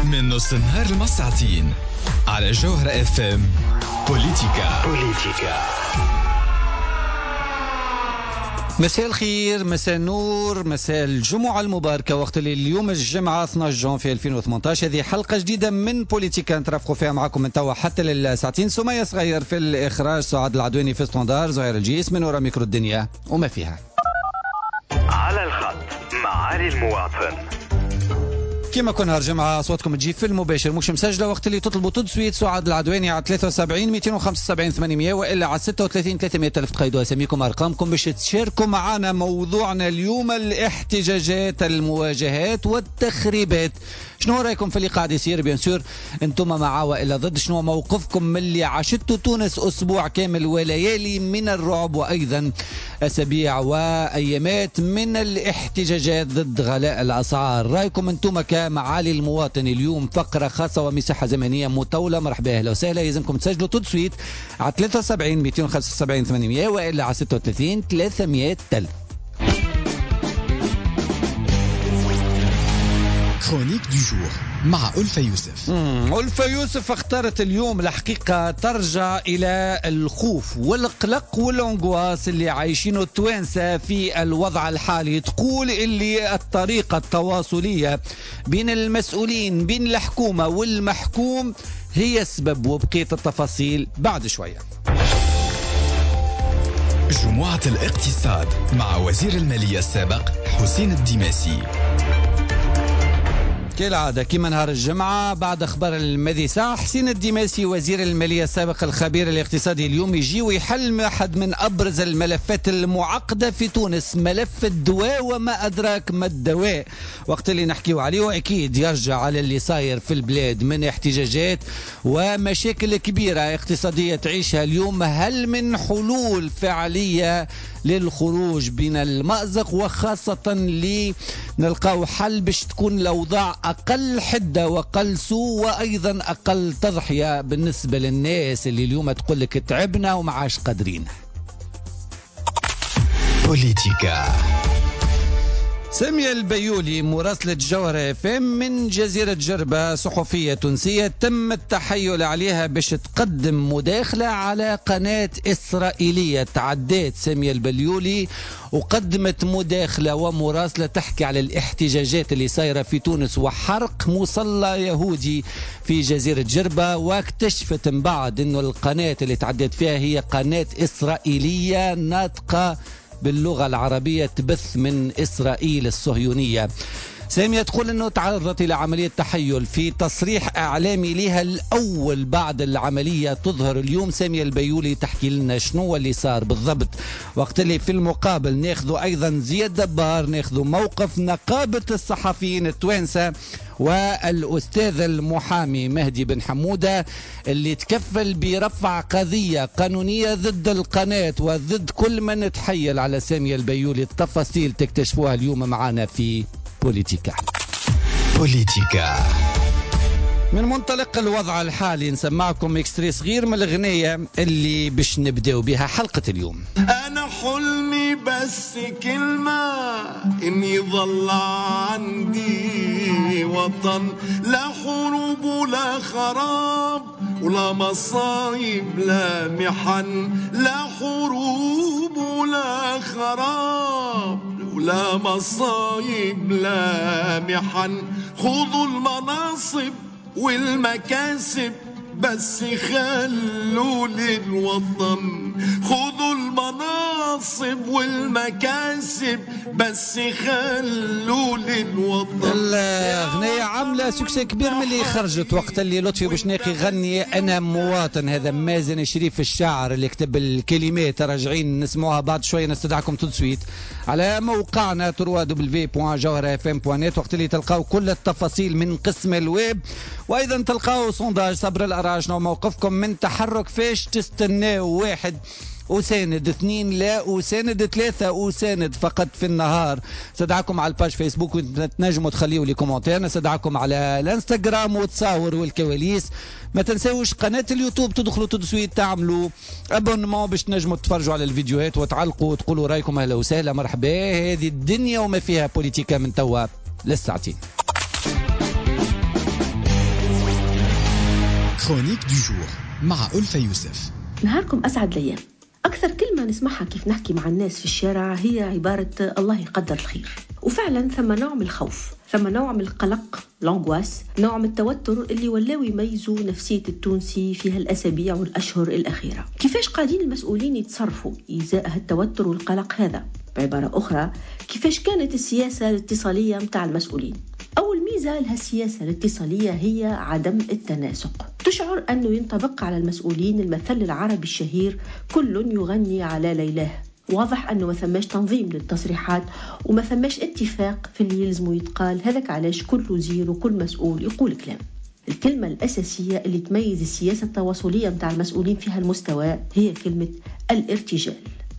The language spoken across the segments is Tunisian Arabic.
من نص النهار لمساعتين على جوهرة اف ام. بوليتيكا. بوليتيكا. مساء الخير، مساء النور، مساء الجمعة المباركة. وقت اللي اليوم الجمعة 12 جانفي 2018، هذه حلقة جديدة من بوليتيكا نترافقوا فيها معكم من توا حتى للساعتين. سمية صغير في الإخراج، سعاد العدواني في standard، زهير الجيس من وراء ميكرو الدنيا وما فيها. على الخط معالي المواطن. كما كنا نهار جمعة صوتكم تجي في المباشر مش مسجلة، وقت اللي تطلبوا tout de suite سعاد العدواني على 73 275 800 وإلا على 36 300 ألف. تقيدوا أساميكم أرقامكم باش تشاركوا معنا موضوعنا اليوم: الاحتجاجات، المواجهات والتخريبات. شنو رأيكم في اللي قاعد يصير؟ bien sûr انتم مع وإلا ضد؟ شنو موقفكم من اللي عشتوا تونس أسبوع كامل وليالي من الرعب، وأيضا أسابيع وأيامات من الاحتجاجات ضد غلاء الأسعار؟ رأيكم انتم كمعالي المواطن. اليوم فقرة خاصة ومساحة زمنية مطولة. مرحبا، أهلا وسهلا. يلزمكم تسجلوا tout de suite على 73 275 800 وإلا على 36 300 ألف. chronique du jour مع ألفة يوسف. ألفة يوسف اختارت اليوم الحقيقة ترجع إلى الخوف والقلق وال angoisse اللي عايشينه التوانسة في الوضع الحالي. تقول اللي الطريقة التواصلية بين المسؤولين، بين الحكومة والمحكوم، هي السبب، وبقية التفاصيل بعد شوية. جمعة الاقتصاد مع وزير المالية السابق حسين الديماسي. كالعادة كما نهار الجمعة بعد أخبار الماضي ساعة، حسين الديماسي وزير المالية السابق الخبير الاقتصادي اليوم يجي ويحل أحد من أبرز الملفات المعقدة في تونس، ملف الدواء وما أدراك ما الدواء. وقت اللي نحكيو عليه أكيد يرجع على اللي صاير في البلاد من احتجاجات ومشاكل كبيرة اقتصادية تعيشها اليوم. هل من حلول فعلية للخروج من المأزق، وخاصة لنلقاو حل باش تكون الأوضاع أقل حدة وأقل سوء وأيضا أقل تضحية بالنسبة للناس اللي اليوم تقول لك تعبنا ومعاش قادرين؟ بوليتيكا. سامية البيولي مراسلة جوهرة اف ام من جزيرة جربة، صحفية تونسية تم التحيل عليها باش تقدم مداخلة على قناة إسرائيلية. تعدات سامية البيولي وقدمت مداخلة ومراسلة تحكي على الاحتجاجات اللي صايرة في تونس وحرق مصلى يهودي في جزيرة جربة، واكتشفت من بعد انه القناة اللي تعدت فيها هي قناة إسرائيلية ناطقة باللغة العربية تبث من إسرائيل الصهيونية. سامية تقول أنه تعرضت إلى عملية تحيل في تصريح إعلامي لها الأول بعد العملية. تظهر اليوم سامية البيولي تحكي لنا شنو اللي صار بالضبط. وقت اللي في المقابل ناخذ أيضا زياد دبار، ناخذ موقف نقابة الصحفيين التوانسة والأستاذ المحامي مهدي بن حمودة اللي تكفل برفع قضية قانونية ضد القناة وضد كل من تحيل على سامية البيولي. التفاصيل تكتشفوها اليوم معنا في بوليتيكا. بوليتيكا. من منطلق الوضع الحالي نسمعكم extrait صغير من الأغنية اللي باش نبداو بها حلقة اليوم. أنا حلمي بس كلمة إني ظل عندي وطن، لا حروب ولا خراب ولا مصايب لا محن، لا حروب ولا خراب ولا مصايب لا محن، خذوا المناصب والمكاسب بس خلوا للوطن، خذوا المناصب والمكاسب بس خلوا للوطن. الأغنية عاملة succès كبير من اللي خرجت وقت اللي لطفي بوشناقي غني أنا مواطن. هذا مازن شريف الشاعر اللي كتب الكلمات، راجعين نسمعوها بعد شوية. نستدعكم tout de suite على موقعنا www.jawharafm.net وقت اللي تلقاو كل التفاصيل من قسم الويب، وأيضا تلقاو sondage صبر الأراج. شنو موقفكم من تحرك فاش تستناو؟ 1 أساند، 2 لا أساند، 3 أساند فقط في النهار. استدعاكم على ال page فيسبوك وتنجموا تخليوا les commentaires. نستدعاكم على الانستغرام وتصاور والكواليس. ما تنساوش قناة اليوتيوب، تدخلوا tout de suite تعملوا abonnement باش تنجموا تتفرجوا على الفيديوهات وتعلقوا وتقولوا رايكم. اهلا وسهلا، مرحبا. هذه الدنيا وما فيها. بوليتيكا من توا للساعتين. chronique du jour مع ألفة يوسف. نهاركم أسعد الأيام. أكثر كلمة نسمعها كيف نحكي مع الناس في الشارع هي عبارة الله يقدر الخير. وفعلا ثم نوع من الخوف، ثم نوع من القلق، l'angoisse، نوع من التوتر اللي ولاو يميزوا نفسية التونسي في هالأسابيع والأشهر الأخيرة. كيفاش قاعدين المسؤولين يتصرفوا إزاء هالتوتر والقلق هذا؟ بعبارة أخرى، كيفاش كانت السياسة الاتصالية متاع المسؤولين؟ أول ميزة لها السياسة الاتصالية هي عدم التناسق. تشعر أنه ينطبق على المسؤولين المثل العربي الشهير كل يغني على ليلاه. واضح أنه ما ثماش تنظيم للتصريحات وما ثماش اتفاق في اللي يلزمه يتقال. هذاك علاش كل وزير وكل مسؤول يقول كلام. الكلمة الأساسية اللي تميز السياسة التواصلية متاع المسؤولين في هالمستوى هي كلمة الارتجال.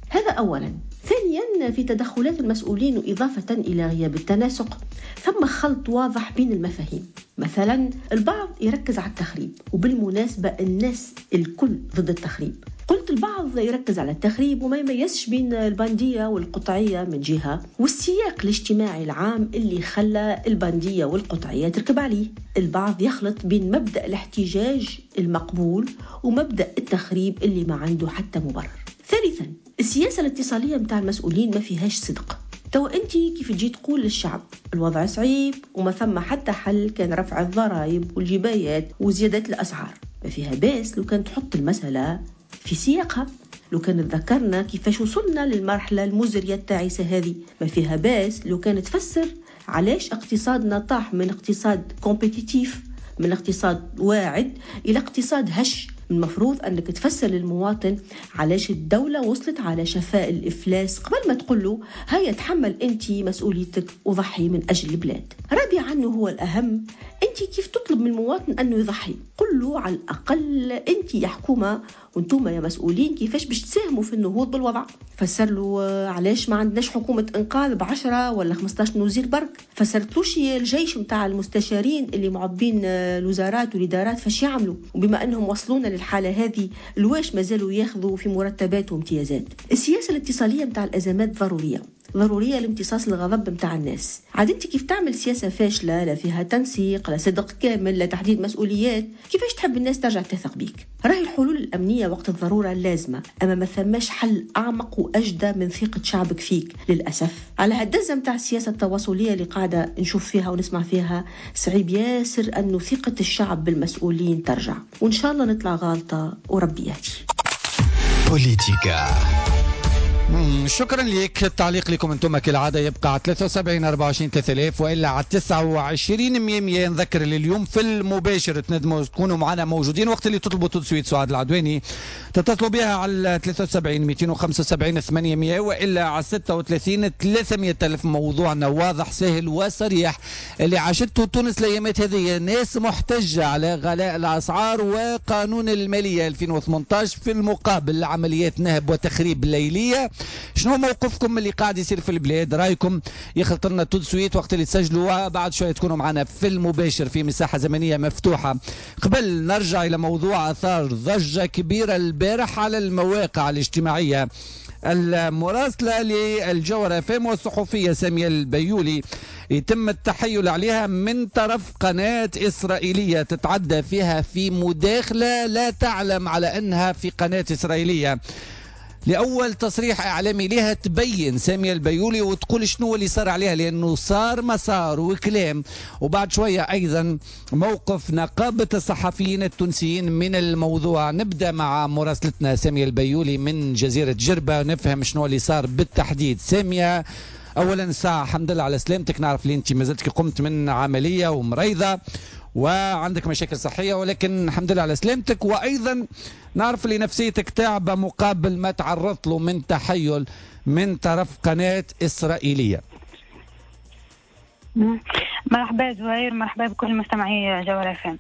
هذا أولا. ثانيا، في تدخلات المسؤولين وإضافة إلى غياب التناسق ثم خلط واضح بين المفاهيم. مثلا البعض يركز على التخريب، وبالمناسبة الناس الكل ضد التخريب. قلت البعض يركز على التخريب وما يميزش بين البندية والقطعية من جهة، والسياق الاجتماعي العام اللي خلى البندية والقطعية تركب عليه. البعض يخلط بين مبدأ الاحتجاج المقبول ومبدأ التخريب اللي ما عنده حتى مبرر. ثالثا، السياسة الاتصالية متاع المسؤولين ما فيهاش صدق. تو أنت كيف تجي تقول للشعب الوضع صعيب وما ثم حتى حل كان رفع الضرائب والجبايات وزيادة الأسعار، ما فيها باس لو كان تحط المسألة في سياقها، لو كان تذكرنا كيفاش وصلنا للمرحلة المزرية التعيسة هذه، ما فيها باس لو كان تفسر علاش اقتصادنا طاح من اقتصاد compétitif، من اقتصاد واعد إلى اقتصاد هش. المفروض أنك تفسر للمواطن علاش الدولة وصلت على شفاء الإفلاس قبل ما تقول له هيا تحمل أنت مسؤوليتك وضحي من أجل البلاد. رابعا هو الأهم، أنت كيف تطلب من المواطن أنه يضحي؟ قل له على الأقل أنت يا حكومة وانتم يا مسؤولين كيفاش باش تساهموا في النهوض بالوضع. فسر له علاش ما عندناش حكومة إنقاذ ب10 ولا 15 وزير برك. فسرتلوش الجيش متاع المستشارين اللي معبين الوزارات والإدارات فاش يعملوا، وبما أنهم وصلونا للحالة هذه الواش مازالوا ياخذوا في مرتبات وامتيازات. السياسة الاتصالية متاع الأزمات ضرورية لامتصاص الغضب متاع الناس. عاد انت كيف تعمل سياسة فاشلة لا فيها تنسيق لا صدق كامل لا تحديد مسؤوليات، كيفاش تحب الناس ترجع تثق بيك؟ راهي الحلول الأمنية وقت الضرورة لازمة، أما ما ثماش حل أعمق وأجدى من ثقة شعبك فيك. للأسف على هالدزة متاع السياسة التواصلية اللي قاعدة نشوف فيها ونسمع فيها، صعيب ياسر أنه ثقة الشعب بالمسؤولين ترجع، وإن شاء الله نطلع غالطة وربي يهدي. بوليتيكا. شكرا لك. التعليق لكم انتم كالعادة يبقى على 73 24 3000 والا على 29 100. نذكر اليوم في المباشر تندموا تكونوا معنا موجودين وقت اللي تطلبوا tout de suite سعاد العدواني تتصلوا بها على 73 275 800 والا على 36 300 ألف. موضوعنا واضح سهل وصريح، اللي عاشته تونس الايامات هذه ناس محتجه على غلاء الاسعار وقانون المالية 2018، في المقابل عمليات نهب وتخريب ليليه. شنو موقفكم اللي قاعد يصير في البلاد؟ رايكم يخلط لنا tout de suite وقت اللي تسجلوا، بعد شوية تكونوا معنا في المباشر في مساحة زمنية مفتوحة. قبل نرجع الى موضوع اثار ضجه كبيرة البارح على المواقع الاجتماعية. المراسله للجوهرة FM والصحفيه سامية البيولي يتم التحيل عليها من طرف قناة إسرائيلية تتعدى فيها في مداخله لا تعلم على انها في قناة إسرائيلية. لأول تصريح إعلامي لها تبين سامية البيولي وتقول شنو اللي صار عليها، لأنه صار مسار وكلام. وبعد شوية أيضا موقف نقابة الصحفيين التونسيين من الموضوع. نبدأ مع مراسلتنا سامية البيولي من جزيرة جربة نفهم شنو اللي صار بالتحديد. سامية، أولا ساعة الحمد لله على سلامتك، نعرف اللي أنت ما زلت قمت من عملية ومريضة وعندك مشاكل صحية، ولكن الحمد لله على سلامتك. وأيضا نعرف اللي نفسيتك تعبة مقابل ما تعرضت له من تحيل من طرف قناة إسرائيلية. مرحبا زهير، مرحبا بكل مستمعي جوهرة FM.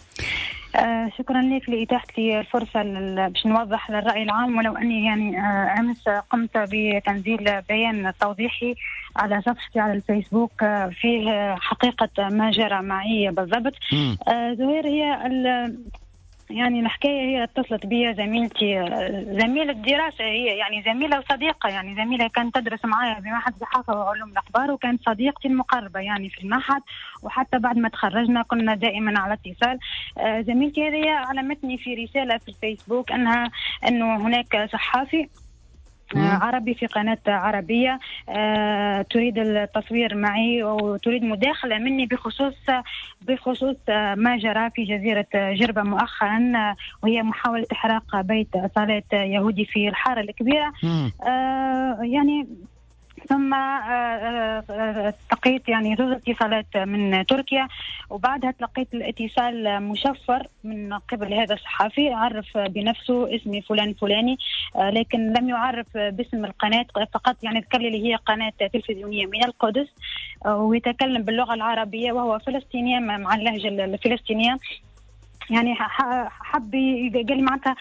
شكرا لك لإتاحة لي الفرصة باش نوضح للرأي العام، ولو أني يعني أمس قمت بتنزيل بيان توضيحي على صفحتي على الفيسبوك فيه حقيقة ما جرى معي بالضبط. زهير، هي يعني الحكاية هي اتصلت بي زميلتي، زميلة دراسة، هي يعني زميلة وصديقة، يعني زميلة كانت تدرس معايا بمعهد الصحافة وعلوم الأخبار، وكانت صديقتي المقربة يعني في المعهد، وحتى بعد ما تخرجنا كنا دائما على اتصال. زميلتي هذه علمتني في رسالة في الفيسبوك أنه هناك صحافي عربي في قناة عربية تريد التصوير معي وتريد مداخلة مني بخصوص ما جرى في جزيرة جربة مؤخرا، وهي محاولة إحراق بيت صلاة يهودي في الحارة الكبيرة. يعني ثم تلقيت يعني زوج اتصالات من تركيا، وبعدها تلقيت الاتصال مشفر من قبل هذا الصحافي، عرف بنفسه اسمي فلان فلاني، لكن لم يعرف باسم القناة، فقط يعني ذكر لي اللي هي قناة تلفزيونية من القدس، ويتكلم باللغة العربية وهو فلسطيني مع اللهجة الفلسطينية. يعني حب قال لي معناتها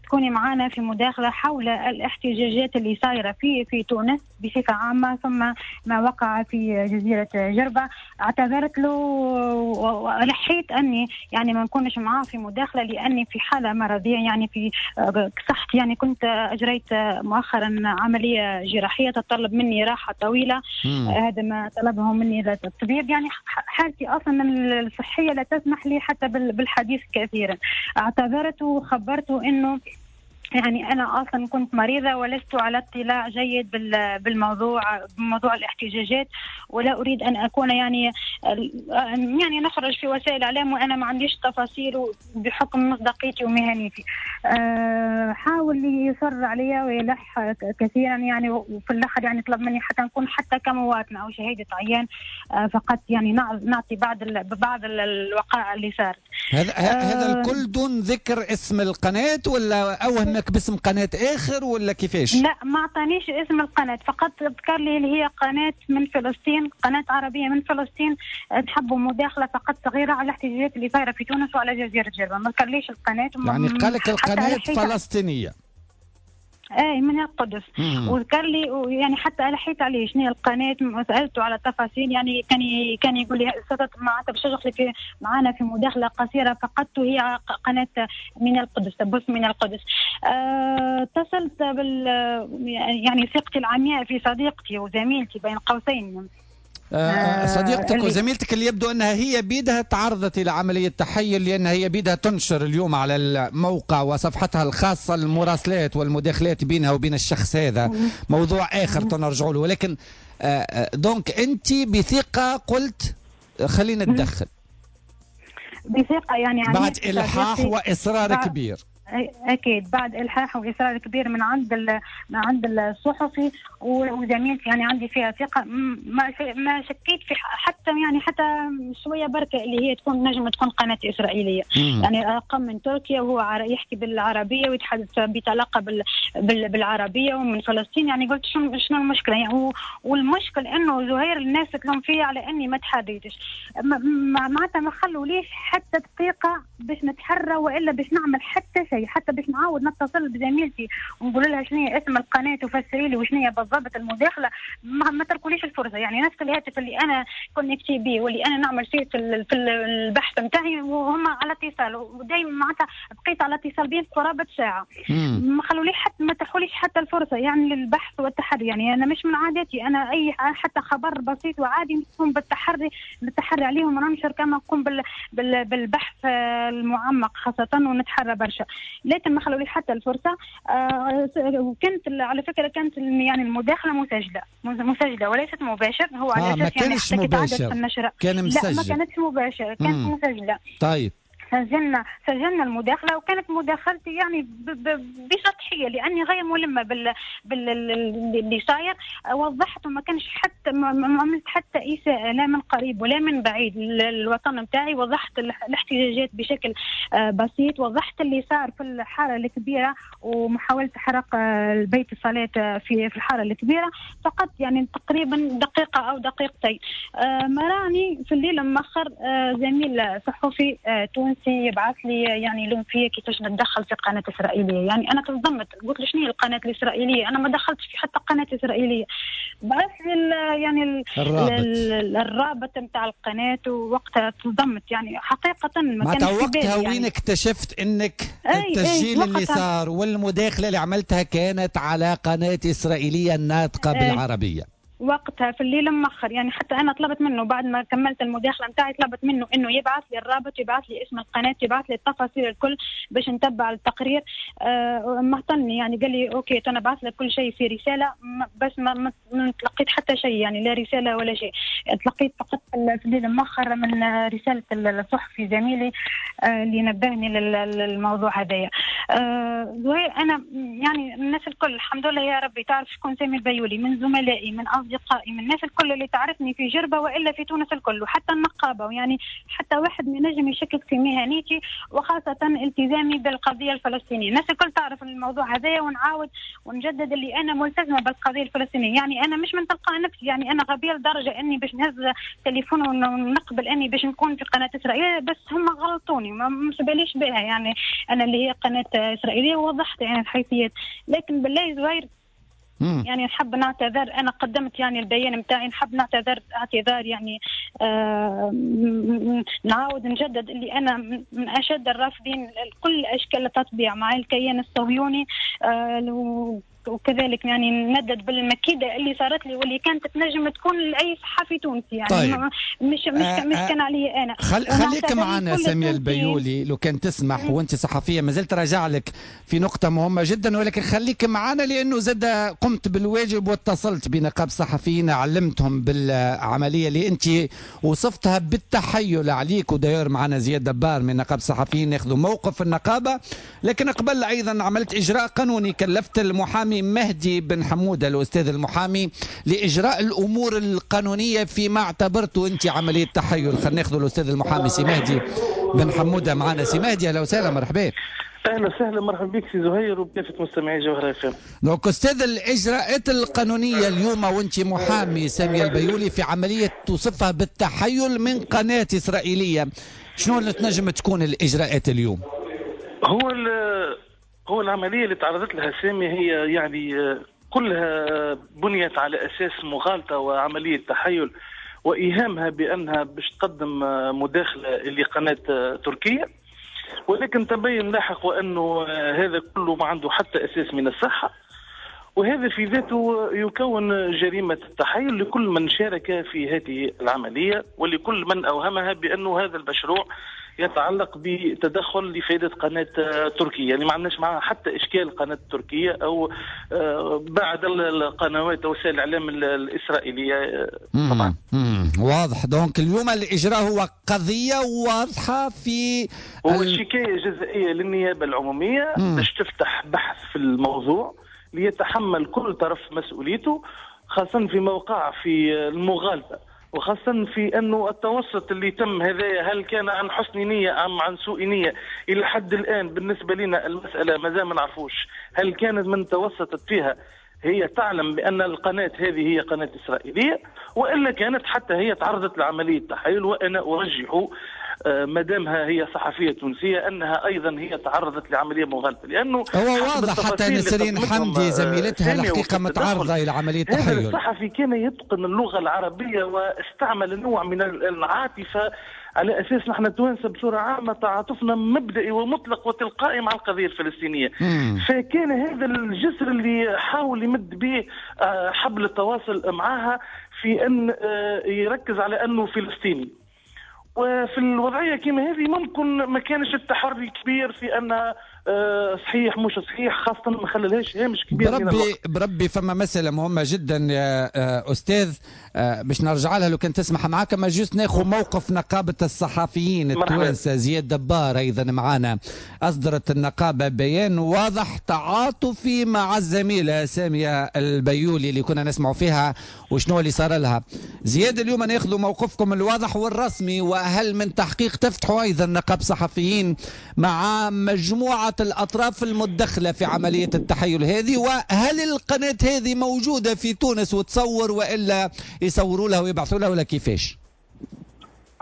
تكوني معنا في مداخلة حول الاحتجاجات اللي صايرة في تونس بصفة عامة، ثم ما وقع في جزيرة جربة. اعتذرت له ولحيت أني يعني ما نكونش معاه في مداخلة لأني في حالة مرضية، يعني في صحتي، يعني كنت أجريت مؤخرا عملية جراحية تتطلب مني راحة طويلة. هذا ما طلبه مني الطبيب، يعني حالتي أصلا الصحية لا تسمح لي حتى بالحديث كثيرا. اعتذرت وخبرته أنه يعني أنا أصلا كنت مريضة ولست على اطلاع جيد بالموضوع، بموضوع الاحتجاجات، ولا أريد أن أكون يعني نخرج في وسائل الإعلام وأنا ما عنديش تفاصيل بحكم مصداقيتي ومهنيتي. حاول يصر علي ويلح كثيرا يعني، وفي الآخر يعني طلب مني حتى نكون حتى كمواطنة أو شهادة عيان فقط، يعني نعطي بعض الوقائع اللي صارت. هذا الكل دون ذكر اسم القناة ولا أوهمك باسم قناة آخر ولا كيفاش؟ لا، ما أعطانيش اسم القناة، فقط ذكر لي اللي هي قناة من فلسطين، قناة عربية من فلسطين، تحبوا مداخلة فقط صغيرة على الاحتجاجات اللي صايرة في تونس وعلى جزيرة جربة. ما ذكرليش القناة، يعني قالك القناة فلسطينية. اي من القدس. وذكر لي يعني حتى لحيت عليه شنو هي القناة، سالته على التفاصيل، يعني كان يقول لي معناتها باش تدخلي في معنا في مداخله قصيرة فقط، وهي قناة من القدس، تبث من القدس. اتصلت بال يعني ثقتي العمياء في صديقتي وزميلتي بين قوسين، صديقتك وزميلتك اللي يبدو أنها هي بيدها تعرضت إلى عملية تحيل، لأنها هي بيدها تنشر اليوم على الموقع وصفحتها الخاصة المراسلات والمداخلات بينها وبين الشخص هذا. موضوع آخر تنرجع له، ولكن donc أنت بثقة قلت خلينا نتدخل بثقة، يعني بعد إلحاح وإصرار كبير. أكيد بعد إلحاح وإصرار كبير من عند الصحفي وزميلتي، يعني عندي فيها ثقة، ما شكيت في حتى يعني حتى شوية بركة اللي هي تكون نجم تكون قناة إسرائيلية. يعني رقم من تركيا وهو يحكي بالعربية ويتحدث بطلاقة بالعربية ومن فلسطين، يعني قلت شنو المشكلة يعني. والمشكل إنه زهير الناس تلوم فيه على إني ما تحريتش، معناتها ما خلوليش حتى دقيقة باش نتحرى وإلا باش نعمل حتى شيء، حتى باش نعاود نتصل بزميلتي ونقول لها شنو هي اسم القناة وفسري لي وشنو هي بالضبط المداخلة، ما تركوليش الفرصة. يعني نفس الهاتف اللي انا connectée بيه واللي انا نعمل فيه في البحث نتاعي وهم على اتصال، ودايما معناتها بقيت على اتصال بيه قرابة ساعة، ما خلوليش حتى ما تحوليش حتى الفرصة يعني للبحث والتحري. يعني انا مش من عادتي انا اي حتى خبر بسيط وعادي نقوم بالتحري عليهم وننشر كما نقوم بالبحث المعمق خاصة ونتحرى برشا، لكن ما خلولي حتى الفرصة. وكانت على فكرة كانت يعني المداخلة مسجله وليست مباشر، هو على اساس ما كانش يعني مباشر، كان مسجل. لا ما كانتش مباشر، كانت مسجله. طيب سجلنا المداخلة، وكانت مداخلتي يعني بسطحيه لاني غير ملمه باللي صاير. وضحت وما كانش حتى ما عملت حتى اساءه لا من قريب ولا من بعيد للوطن نتاعي. وضحت الاحتجاجات بشكل بسيط، وضحت اللي صار في الحارة الكبيرة ومحاولة حرق البيت الصلاة في الحارة الكبيرة فقط، يعني تقريبا دقيقة او دقيقتين. مراني في الليل مأخر زميل صحفي تونسي يبعث لي يعني لوم فيا كيفاش نتدخل في قناة إسرائيلية. يعني أنا تصدمت، قلت له شنو هي القناة الإسرائيلية؟ أنا ما دخلتش في حتى قناة إسرائيلية. بعث لي يعني الرابط نتاع القناة، ووقتها تصدمت يعني حقيقة ما كانش في بالي. وقتها وين اكتشفت إنك التسجيل اللي صار والمداخلة اللي عملتها كانت على قناة إسرائيلية ناطقة بالعربية؟ وقتها في الليل مأخر. يعني حتى أنا طلبت منه بعد ما كملت المداخلة متاعي، طلبت منه إنه يبعث لي الرابط، يبعث لي اسم القناة، يبعث لي التفاصيل الكل باش نتبع التقرير. مهتمني يعني، قال لي OK أنا بعث لك كل شيء في رسالة، بس ما تلقيت حتى شيء، يعني لا رسالة ولا شيء. تلقيت فقط في الليل مأخر من رسالة الصحفي زميلي اللي نبهني للموضوع هذايا. أنا يعني الناس الكل الحمد لله يا ربي تعرف شكون سامي البيولي، من زملائي، من أصدقائي، من الناس الكل اللي تعرفني في جربة وإلا في تونس الكل، وحتى النقابة، يعني حتى واحد ما ينجم يشكك في مهنيتي وخاصة التزامي بالقضية الفلسطينية. الناس الكل تعرف الموضوع هذايا، ونعاود ونجدد اللي أنا ملتزمة بالقضية الفلسطينية. يعني أنا مش من تلقاء نفسي، يعني أنا غبية لدرجة أني باش نهز تليفون ونقبل أني باش نكون في قناة إسرائيلية، بس هم غلطوني، ما باليش بها. يعني أنا اللي هي قناة إسرائيلية ووضحت يعني الحيثيات. لكن بالله زهير يعني نحب نعتذر، أنا قدمت يعني البيان متاعي، نحب نعتذر اعتذار يعني نعاود نجدد اللي أنا من أشد الرافضين لكل أشكال التطبيع مع الكيان الصهيوني، وكذلك يعني ندد بالمكيدة اللي صارت لي واللي كانت تنجم تكون لأي صحفي تونسي. يعني طيب. مش كان علي أنا. خليك معنا سامية البيولي لو كان تسمح، وانت صحفية ما زلت راجع لك في نقطة مهمة جدا، ولكن خليك معنا لأنه زاد قمت بالواجب واتصلت بنقاب صحفيين، علمتهم بالعملية اللي انت وصفتها بالتحيل عليك، وداير معنا زياد دبار من نقاب صحفيين ياخذوا موقف النقابة. لكن قبل أيضا عملت إجراء قانوني، كلفت المحامي مهدي بن حمودة الأستاذ المحامي لإجراء الأمور القانونية فيما اعتبرته أنت عملية تحيل. خلينا ناخذ الأستاذ المحامي سي مهدي بن حمودة معنا. سي مهدي أهلا وسهلا، مرحبا. أهلا وسهلا، مرحبا بك سي زهير وبكافة مستمعي جوهرة اف ام. donc أستاذ، الإجراءات القانونية اليوم وأنت محامي سامية البيولي في عملية توصفها بالتحيل من قناة إسرائيلية، شنو اللي تنجم تكون الإجراءات اليوم؟ هو العملية اللي تعرضت لها سامي هي يعني كلها بنيت على أساس مغالطة وعملية تحيل وإيهامها بأنها باش تقدم مداخلة لقناة تركية، ولكن تبين لاحق وأنه هذا كله ما عنده حتى أساس من الصحة، وهذا في ذاته يكون جريمة التحيل لكل من شارك في هذه العملية ولكل من أوهمها بأنه هذا المشروع يتعلق بتدخل لفائدة قناة تركية. يعني ما عندناش معها حتى إشكال قناة تركية أو بعد القنوات أو وسائل الإعلام الإسرائيلية. طبعا واضح. donc اليوم الإجراء هو قضية واضحة في هو شكاية جزائية للنيابة العمومية باش تفتح بحث في الموضوع ليتحمل كل طرف مسؤوليته، خاصة في موقع في المغالطة، وخاصة في أنه التوسط اللي تم هذايا هل كان عن حسن نية أم عن سوء نية؟ إلى حد الآن بالنسبة لنا المسألة ما زال ما نعرفوش هل كانت من توسطت فيها هي تعلم بأن القناة هذه هي قناة إسرائيلية، وإلا كانت حتى هي تعرضت لعملية تحيل. وأنا أرجح ما دامها هي صحفية تونسية أنها أيضا هي تعرضت لعملية مغالطة، لأنه هو واضح حتى نسرين حمدي زميلتها الحقيقة متعرضة إلى عملية تحيل. هذا الصحفي كان يتقن اللغة العربية واستعمل نوع من العاطفة على أساس نحن التوانسة بصورة عامة تعاطفنا مبدئي ومطلق وتلقائي مع القضية الفلسطينية. فكان هذا الجسر اللي حاول يمد به حبل التواصل معها في أن يركز على أنه فلسطيني. وفي الوضعية كما هذه ممكن ما كانش التحري كبير في أن صحيح مش صحيح، خاصة ما خلالهاش هامش كبير. بربي فما مسألة مهمة جدا يا أستاذ باش نرجع لها لو كان تسمح معاك، ما juste ناخذ موقف نقابة الصحفيين التوانسة. زياد دبار أيضا معانا. أصدرت النقابة بيان واضح تعاطفي مع الزميلة سامية البيولي اللي كنا نسمع فيها وشنو اللي صار لها. زياد اليوم ناخذ موقفكم الواضح والرسمي، وهل من تحقيق تفتحوا أيضا نقاب صحفيين مع مجموعة الأطراف المتدخلة في عملية التحيل هذه؟ وهل القناة هذه موجودة في تونس وتصور وإلا يصوروا لها ويبعثوا لها ولا كيفاش؟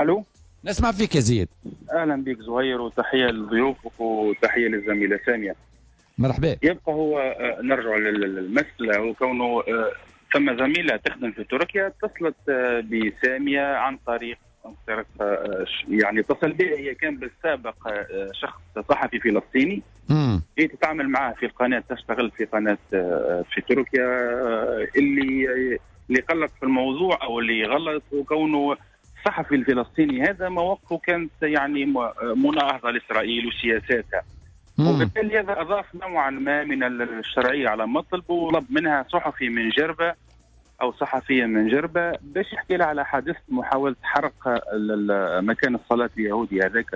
ألو، نسمع فيك يا زياد. أهلا بك زهير، وتحية لضيوفك وتحية للزميلة سامية. مرحبا. يبقى هو نرجع للمسألة، وكونه ثم زميلة تخدم في تركيا اتصلت بسامية عن طريق يعني اتصل بها، هي كان بالسابق شخص صحفي فلسطيني هي تتعامل معاه في القناة، تشتغل في قناة في تركيا اللي اللي قلق في الموضوع او اللي غلط هو كونه الصحفي الفلسطيني هذا مواقفه كانت يعني مناهضه لاسرائيل وسياساتها، وبالتالي هذا اضاف نوعا ما من الشرعية على مطلبه، وطلب منها صحفي من جربه او صحفية من جربه باش يحكي لها على حادثه محاولة حرق مكان الصلاة اليهودي هذاك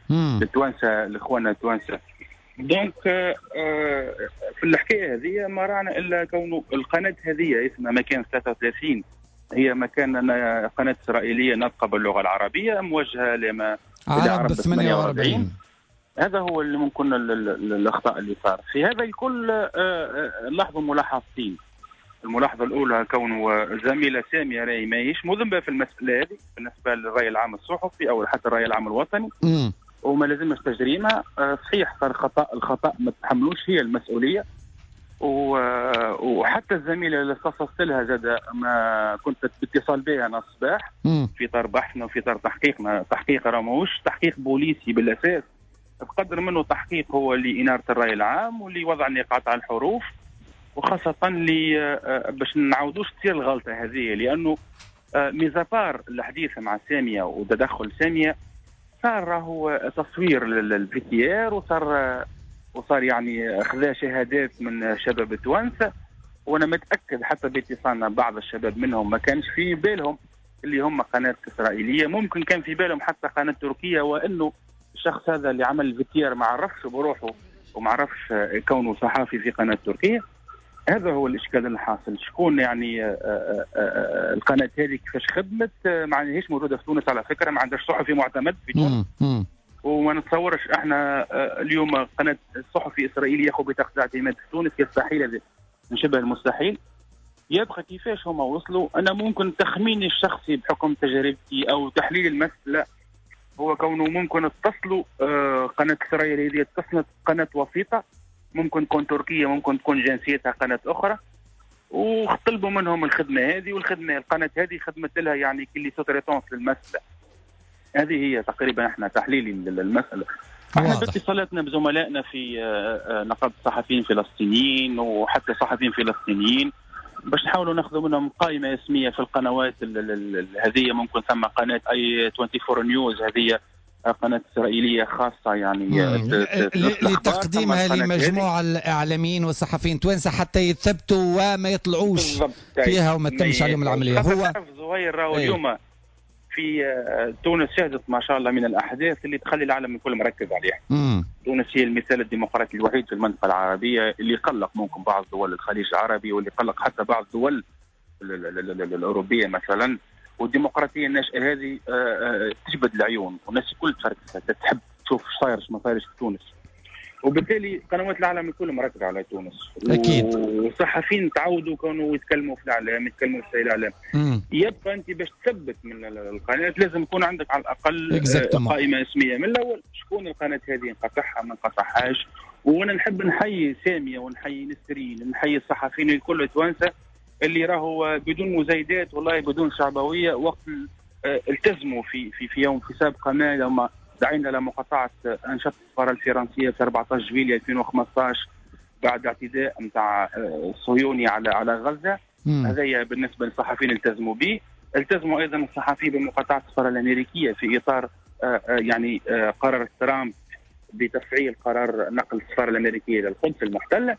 للتوانسه، الاخوان التوانسة. donc في الحكاية هذه ما رانا الا كونه القناة هذه اسمها مكان 33، هي مكان قناة اسرائيلية ناطقه باللغة العربية موجهة لما عرب 48. هذا هو اللي ممكن الاخطاء اللي صار في هذا الكل. لاحظوا ملاحظتين. الملاحظة الاولى كونه زميله سامية راهي ماهيش مذنبه في المسالة هذه بالنسبة للراي العام الصحفي او حتى الراي العام الوطني، وما لازمش تجريمها. صحيح صار خطا، الخطا ما تحملوش هي المسؤولية، وحتى الزميلة اللي اختصصت لها زاد ما كنت باتصال بها انا الصباح في اطار بحثنا وفي اطار تحقيقنا. تحقيق راه ماهوش تحقيق بوليسي بالاساس، بقدر منه تحقيق هو لاناره الراي العام واللي وضع النقاط على الحروف، وخاصة باش نعاودوش تصير الغلطة هذه، لانه mis à part الحديث مع سامية وتدخل سامية صار راهو تصوير لل VTR، وصار يعني خذا شهادات من شباب التوانسة، وانا متاكد حتى باتصالنا بعض الشباب منهم ما كانش في بالهم اللي هم قناة اسرائيلية، ممكن كان في بالهم حتى قناة تركيه، وانه الشخص هذا اللي عمل ال VTR ما عرفش بروحه وما عرفش كونه صحافي في قناة تركيه. هذا هو الاشكال الحاصل. شكون يعني القناة هذه كيفاش خدمت؟ ما هيش موجودة في تونس على فكرة، ما عندهاش صحفي معتمد في تونس، وما نتصورش احنا اليوم قناة صحفي اسرائيلي ياخذ بطاقة اعتماد في تونس، يستحيل، هذا من شبه المستحيل. يبقى كيفاش هما وصلوا؟ انا ممكن تخميني الشخصي بحكم تجربتي او تحليل المسالة هو كونه ممكن اتصلوا قناة اسرائيل هذه اتصلت قناة وسيطة، ممكن تكون تركيه، ممكن تكون جنسيتها قناة اخرى، وطلبوا منهم الخدمة هذه، والخدمة القناة هذه خدمت لها يعني كل sous-traitance للمسالة هذه. هي تقريبا احنا تحليلي للمسالة. احنا باتصالاتنا بزملائنا في نقابة الصحفيين الفلسطينيين وحتى صحفيين فلسطينيين باش نحاولوا ناخذوا منهم قائمة اسميه في القنوات هذه. ممكن ثم قناة i24 News، هذه قناة إسرائيلية خاصة يعني لتقديمها لمجموعة الإعلاميين والصحفيين توانسة حتى يثبتوا وما يطلعوش فيها وما تتمش عليهم العملية. هو زهير راهو اليوم في تونس شهدت ما شاء الله من الأحداث اللي تخلي العالم الكل مركز عليها. تونس هي المثال الديمقراطي الوحيد في المنطقة العربية اللي قلق ممكن بعض دول الخليج العربي، واللي قلق حتى بعض الدول الأوروبية مثلا. والديمقراطية الناشئة هذه تجبد العيون، والناس الكل تحب تشوف ايش صاير ما صايرش في تونس، وبالتالي قنوات العالم الكل مركزه على تونس. اكيد. والصحفيين تعودوا كانوا يتكلموا في الاعلام، يتكلموا في الاعلام. يبقى انت باش تثبت من القناة لازم يكون عندك على الاقل قائمة اسميه من الاول، شكون القناة هذه نقطعها ما نقطعهاش. وانا نحب نحيي سامية ونحيي نسرين، نحيي الصحفيين الكل التوانسة اللي راهو بدون مزايدات والله بدون شعبويه وقت التزموا في في في يوم في سابقه ما لما دعينا لمقاطعه انشطة السفارة الفرنسية في 14 جويلية 2015 بعد اعتداء نتاع الصهيوني على غزة. هذايا بالنسبة للصحفيين التزموا به. التزموا ايضا الصحفيين بمقاطعة السفارة الامريكية في اطار يعني قرار ترامب بتفعيل قرار نقل السفارة الامريكية للقدس المحتلة.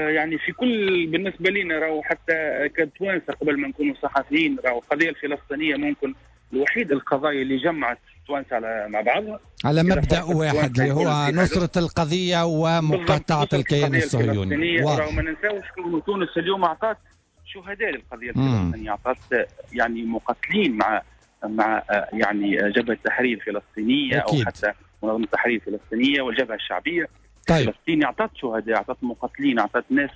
يعني في كل بالنسبة لنا راهو حتى كتوانسه قبل ما نكونوا صحفيين، راهو القضية الفلسطينية ممكن الوحيد القضايا اللي جمعت التوانسة على مع بعضها على مبدا واحد اللي هو نصره القضية ومقاطعه الكيان الصهيوني. راهو ما ننساوش كون تونس اليوم اعطت شهداء للقضية الفلسطينية، اعطت يعني مقاتلين مع يعني جبهة التحرير الفلسطينية او حتى منظمة التحرير الفلسطينية والجبهه الشعبية. طيب. فلسطين اعطت شهداء، اعطت مقاتلين، اعطت ناس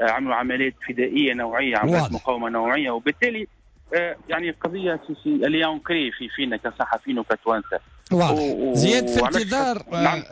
عملوا عمليات فدائيه نوعية، عمليات مقاومة نوعية، وبالتالي يعني القضية اللي ancrée فينا كصحفيين وكتوانسه. واضح. زياد في انتظار نعم.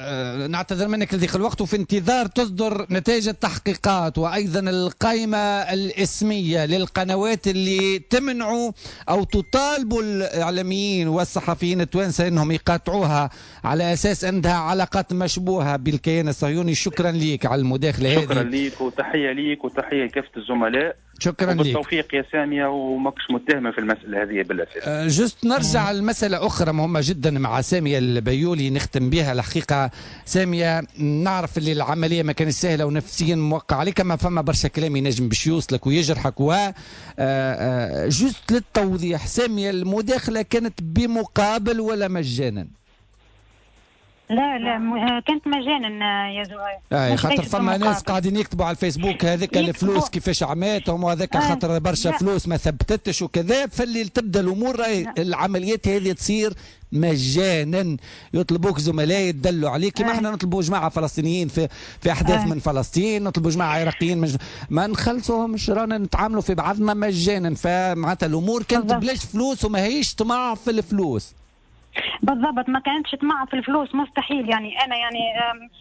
نعتذر منك لضيق الوقت، وفي انتظار تصدر نتائج التحقيقات وايضا القائمة الاسمية للقنوات اللي تمنعوا او تطالبوا الاعلاميين والصحفيين التوانسة انهم يقاطعوها على اساس عندها علاقات مشبوهة بالكيان الصهيوني. شكرا لك على المداخلة هذه. شكرا لك وتحية لك وتحية لكافة الزملاء. شكرا لك. بالتوفيق يا سامية، وماكش متهمة في المسألة هذه بالأساس. juste نرجع لمسألة أخرى مهمة جدا مع سامية البيولي نختم بها. الحقيقة سامية نعرف اللي العملية ما كانت سهلة ونفسيا موقع عليك، ما فما برشا كلام ينجم باش يوصلك ويجرحك. و juste للتوضيح سامية، المداخلة كانت بمقابل ولا مجانا؟ لا لا كانت مجانا يا زهير. خاطر فما ناس قاعدين يكتبوا على الفيسبوك هذيك الفلوس كيفاش عماتهم وهذاك خاطر برشا فلوس ما ثبتتش وكذا. فاللي تبدا الامور العمليات هذه تصير مجانا، يطلبوك زملاء يدلوا عليك كما احنا نطلبوا جماعة فلسطينيين في احداث من فلسطين، نطلبوا جماعة عراقيين ما نخلصوهمش، رانا نتعاملوا في بعضنا مجانا. فمعناتها الامور كانت بلاش فلوس وما هيش طمع في الفلوس. بالضبط، ما كانتش طمع في الفلوس مستحيل. يعني انا يعني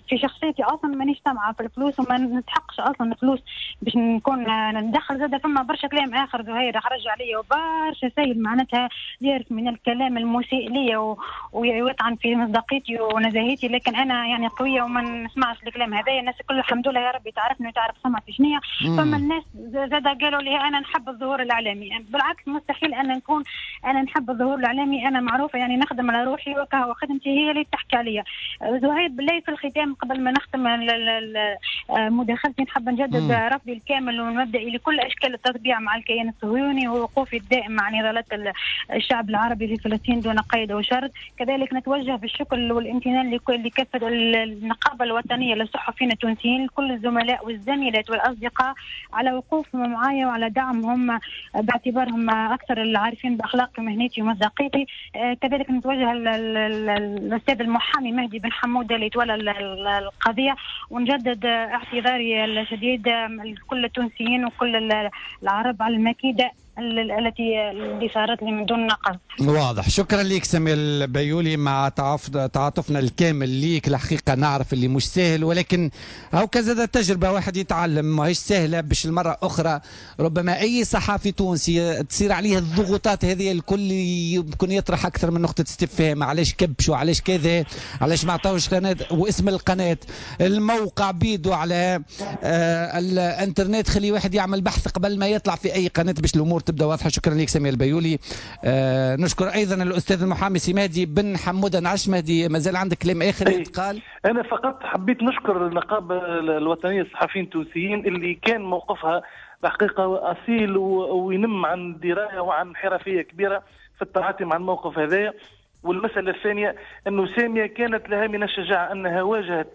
في شخصيتي اصلا مانيش طمعه في الفلوس وما نستحقش اصلا الفلوس باش نكون ندخل. زاد فما برشا كلام اخر زهير خرج عليا وبرشا سيل معناتها يعرف من الكلام المسيء ليا ويطعن في مصداقيتي ونزاهتي، لكن انا يعني قوية وما نسمعش الكلام هذايا. الناس الكل الحمد لله يا ربي تعرفني وتعرف سمعتي شنيا. فما الناس زاد قالوا لي انا نحب الظهور الاعلامي، بالعكس مستحيل ان نكون انا نحب الظهور الاعلامي. انا معروفة يعني نخدم على روحي وكهو خدمتي هي اللي تحكي عليا. زهير بالله في الختام قبل ما نختم مداخلتي نحب نجدد رفضي الكامل والمبدئي لكل اشكال التطبيع مع الكيان الصهيوني ووقوفي الدائم مع نضالات الشعب العربي في فلسطين دون قيد وشرط. كذلك نتوجه بالشكر والامتنان لكافة النقابة الوطنية للصحفيين التونسيين، لكل الزملاء والزميلات والاصدقاء على وقوفهم معايا وعلى دعمهم باعتبارهم اكثر العارفين باخلاقي ومهنتي ومصداقيتي. كذلك نتوجه للاستاذ المحامي مهدي بن حموده اللي تولى القضية، ونجدد اعتذاري الشديد لكل التونسيين وكل العرب على المكيده التي اللي صارت لي من دون نقص. واضح. شكرا لك سامية البيولي، مع تعاطفنا الكامل ليك. الحقيقة نعرف اللي مش سهل، ولكن هو كذا تجربه واحد يتعلم، ماهيش سهلة باش المرة اخرى ربما اي صحفي تونسي تصير عليه الضغوطات هذه الكل يمكن يطرح اكثر من نقطة استفهام، علاش كبشوا، علاش كذا، علاش ما عطاوش قناة واسم القناة، الموقع بيدو على الانترنت، خلي واحد يعمل بحث قبل ما يطلع في اي قناة باش الامور تبدا واضحة. شكرا لك سامية البيولي. نشكر ايضا الاستاذ المحامي سي مهدي بن حموده. نعش مهدي، مازال عندك كلام اخر يتقال؟ انا فقط حبيت نشكر النقابة الوطنية للصحفيين التونسيين اللي كان موقفها الحقيقة اصيل وينم عن دراية وعن حرفية كبيرة في التعاطي مع الموقف هذايا. والمسالة الثانية انه سامية كانت لها من الشجاعة انها واجهت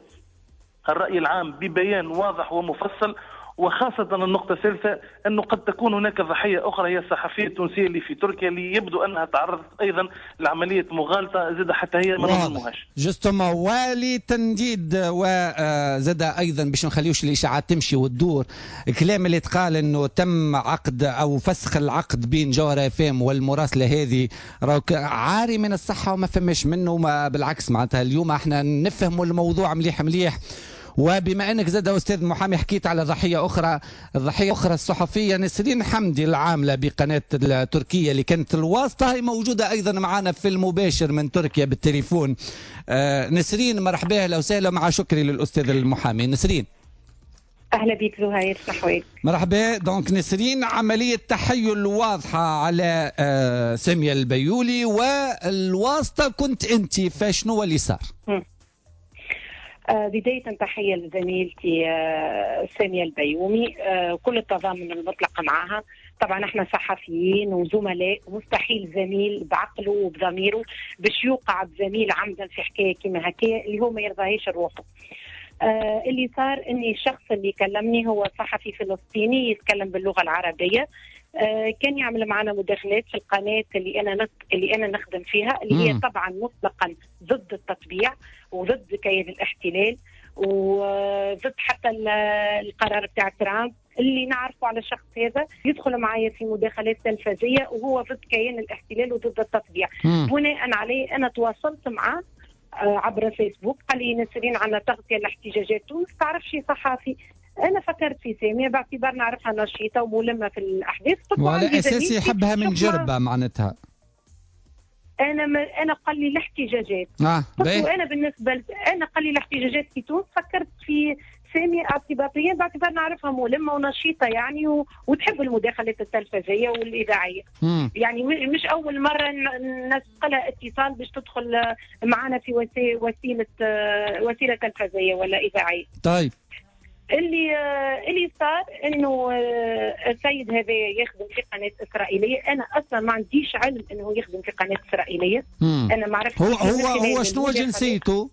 الراي العام ببيان واضح ومفصل، وخاصة النقطة الثالثة أنه قد تكون هناك ضحية أخرى هي الصحفية التونسية اللي في تركيا اللي يبدو أنها تعرضت أيضا لعملية مغالطة زاد حتى هي ما نظلموهاش. justement، ولتنديد وزاد أيضا باش نخليوش الإشاعات تمشي وتدور، الكلام اللي تقال أنه تم عقد أو فسخ العقد بين جوهرة اف ام والمراسلة هذه راك عاري من الصحة وما فماش منه، ما بالعكس معناتها اليوم احنا نفهموا الموضوع مليح مليح. وبما انك زاد استاذ محامي حكيت على ضحية اخرى، الضحية اخرى الصحفية نسرين حمدي العاملة بقناه التركية اللي كانت الواسطة، هي موجودة ايضا معنا في المباشر من تركيا بالتليفون. نسرين مرحبا، اهلا وسهلا، مع شكري للاستاذ المحامي. نسرين اهلا بك زهير، صحويك. مرحبا. donc نسرين، عملية تحيل واضحة على سامية البيولي والواسطه كنت انت، فشنو اللي صار؟ بداية تحية لزميلتي سامية البيومي، كل التضامن المطلق معها. طبعا احنا صحفيين وزملاء، مستحيل زميل بعقله وبضميره باش يوقع بزميل عمدا في حكاية كما هكايا اللي هو ما يرضاهيش روحه. اللي صار اني الشخص اللي كلمني هو صحفي فلسطيني يتكلم باللغة العربية، كان يعمل معنا مداخلات في القناة اللي انا نخدم فيها، اللي هي طبعا مطلقا ضد التطبيع وضد كيان الاحتلال وضد حتى القرار بتاع ترامب. اللي نعرفه على الشخص هذا يدخل معايا في مداخلات تلفزية وهو ضد كيان الاحتلال وضد التطبيع. بناء عليه انا تواصلت معه عبر فيسبوك، قال لي نسرين عندنا تغطيه لاحتجاجات تونس، تعرف شي صحافي؟ انا فكرت في سامية باعتبار نعرفها نشيطه وملمه في الاحداث، وعلى اساس يحبها من جربه معناتها. انا قال لي الاحتجاجات. وانا بالنسبة انا قال لي الاحتجاجات في تونس، فكرت في سامية اعتباطيا باعتبار نعرفها ملمه ونشيطه يعني وتحب المداخلات التلفزيونية والاذاعيه. يعني مش اول مرة نسقلها اتصال باش تدخل معنا في وسيلة تلفزيونية ولا اذاعية. طيب اللي صار انه السيد هذا يخدم في قناة اسرائيلية، انا اصلا ما عنديش علم انه يخدم في قناة اسرائيلية. انا ما عرفتش هو شنو جنسيته؟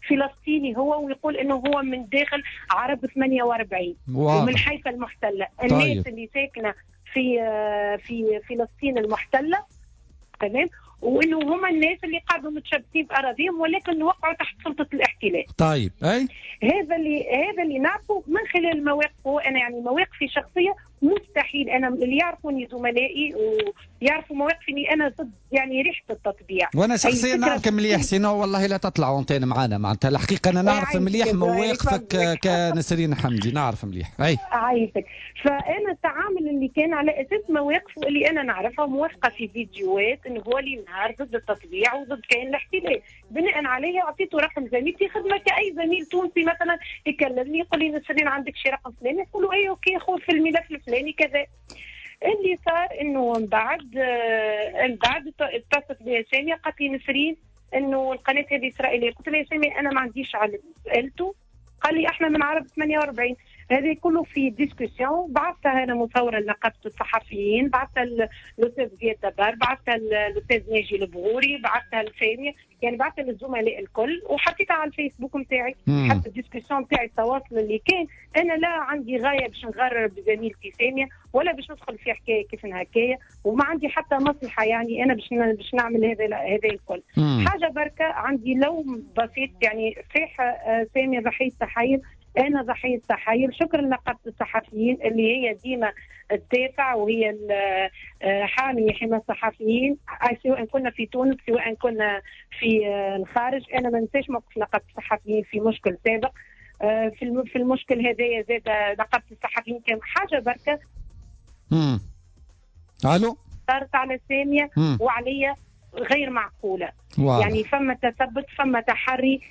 فلسطيني هو، ويقول انه هو من داخل عرب 48 ومن حيفا المحتلة. طيب. الناس اللي ساكنة في فلسطين المحتلة، تمام، وانه هما الناس اللي قعدوا متشبثين باراضيهم ولكن وقعوا تحت سلطة الاحتلال. طيب اي هذا اللي نعرفه من خلال مواقفه. انا يعني مواقفي شخصية مستحيل، انا اللي يعرفوني زملائي ويعرفوا مواقفي اني انا ضد يعني ريحه التطبيع. وانا شخصيا نعرف مليح، sinon والله لا تطلع antenne معانا، معناتها الحقيقة انا نعرف مليح مواقفك كنسرين حمدي، نعرف مليح. اي عايشك. فانا التعامل اللي كان على اساس مواقفه اللي انا نعرفها موافقة في فيديوهات انه هو اللي نهار ضد التطبيع وضد كيان الاحتلال، بناء عليه اعطيته رقم زميلتي خدمة كاي زميل تونسي مثلا يكلمني يقول لي نسرين عندك شي رقم فلاني، نقول له اي OK خذ في الملف الفلاني كذا. اللي صار انه من بعد اتصلت بي سامية قالت لي نسرين انه القناة هذه اسرائيلية. قلت لها يا سامية انا ما عنديش علم. سالته قال لي احنا من عرب 48. هذه كله في discussion بعثتها انا مصوره لنقابه الصحفيين، بعثتها للاستاذ زياد دبار، بعثتها للاستاذ ناجي البغوري، بعثتها لساميه، يعني بعثتها للزملاء الكل وحطيتها على الفيسبوك نتاعي. حتى ال discussion نتاعي التواصل اللي كان، انا لا عندي غاية باش نغرر بزميلتي سامية ولا باش ندخل في حكاية كيف هكايا، وما عندي حتى مصلحة يعني انا باش نعمل هذا الكل. حاجة بركة عندي لوم بسيط يعني، صحيح سامية ضحية تحايل، أنا ضحية تحايل. شكرا لنقابة الصحفيين اللي هي ديما تدافع وهي حامية حمى الصحفيين، سواء كنا في تونس سواء كنا في الخارج. أنا ما ننساش موقف نقابة الصحفيين في مشكل سابق. في المشكل هذايا زاد نقابة الصحفيين كان حاجة بركة. ألو صارت على سامية وعليا غير معقولة. واضح. يعني فما تثبت، فما تحري،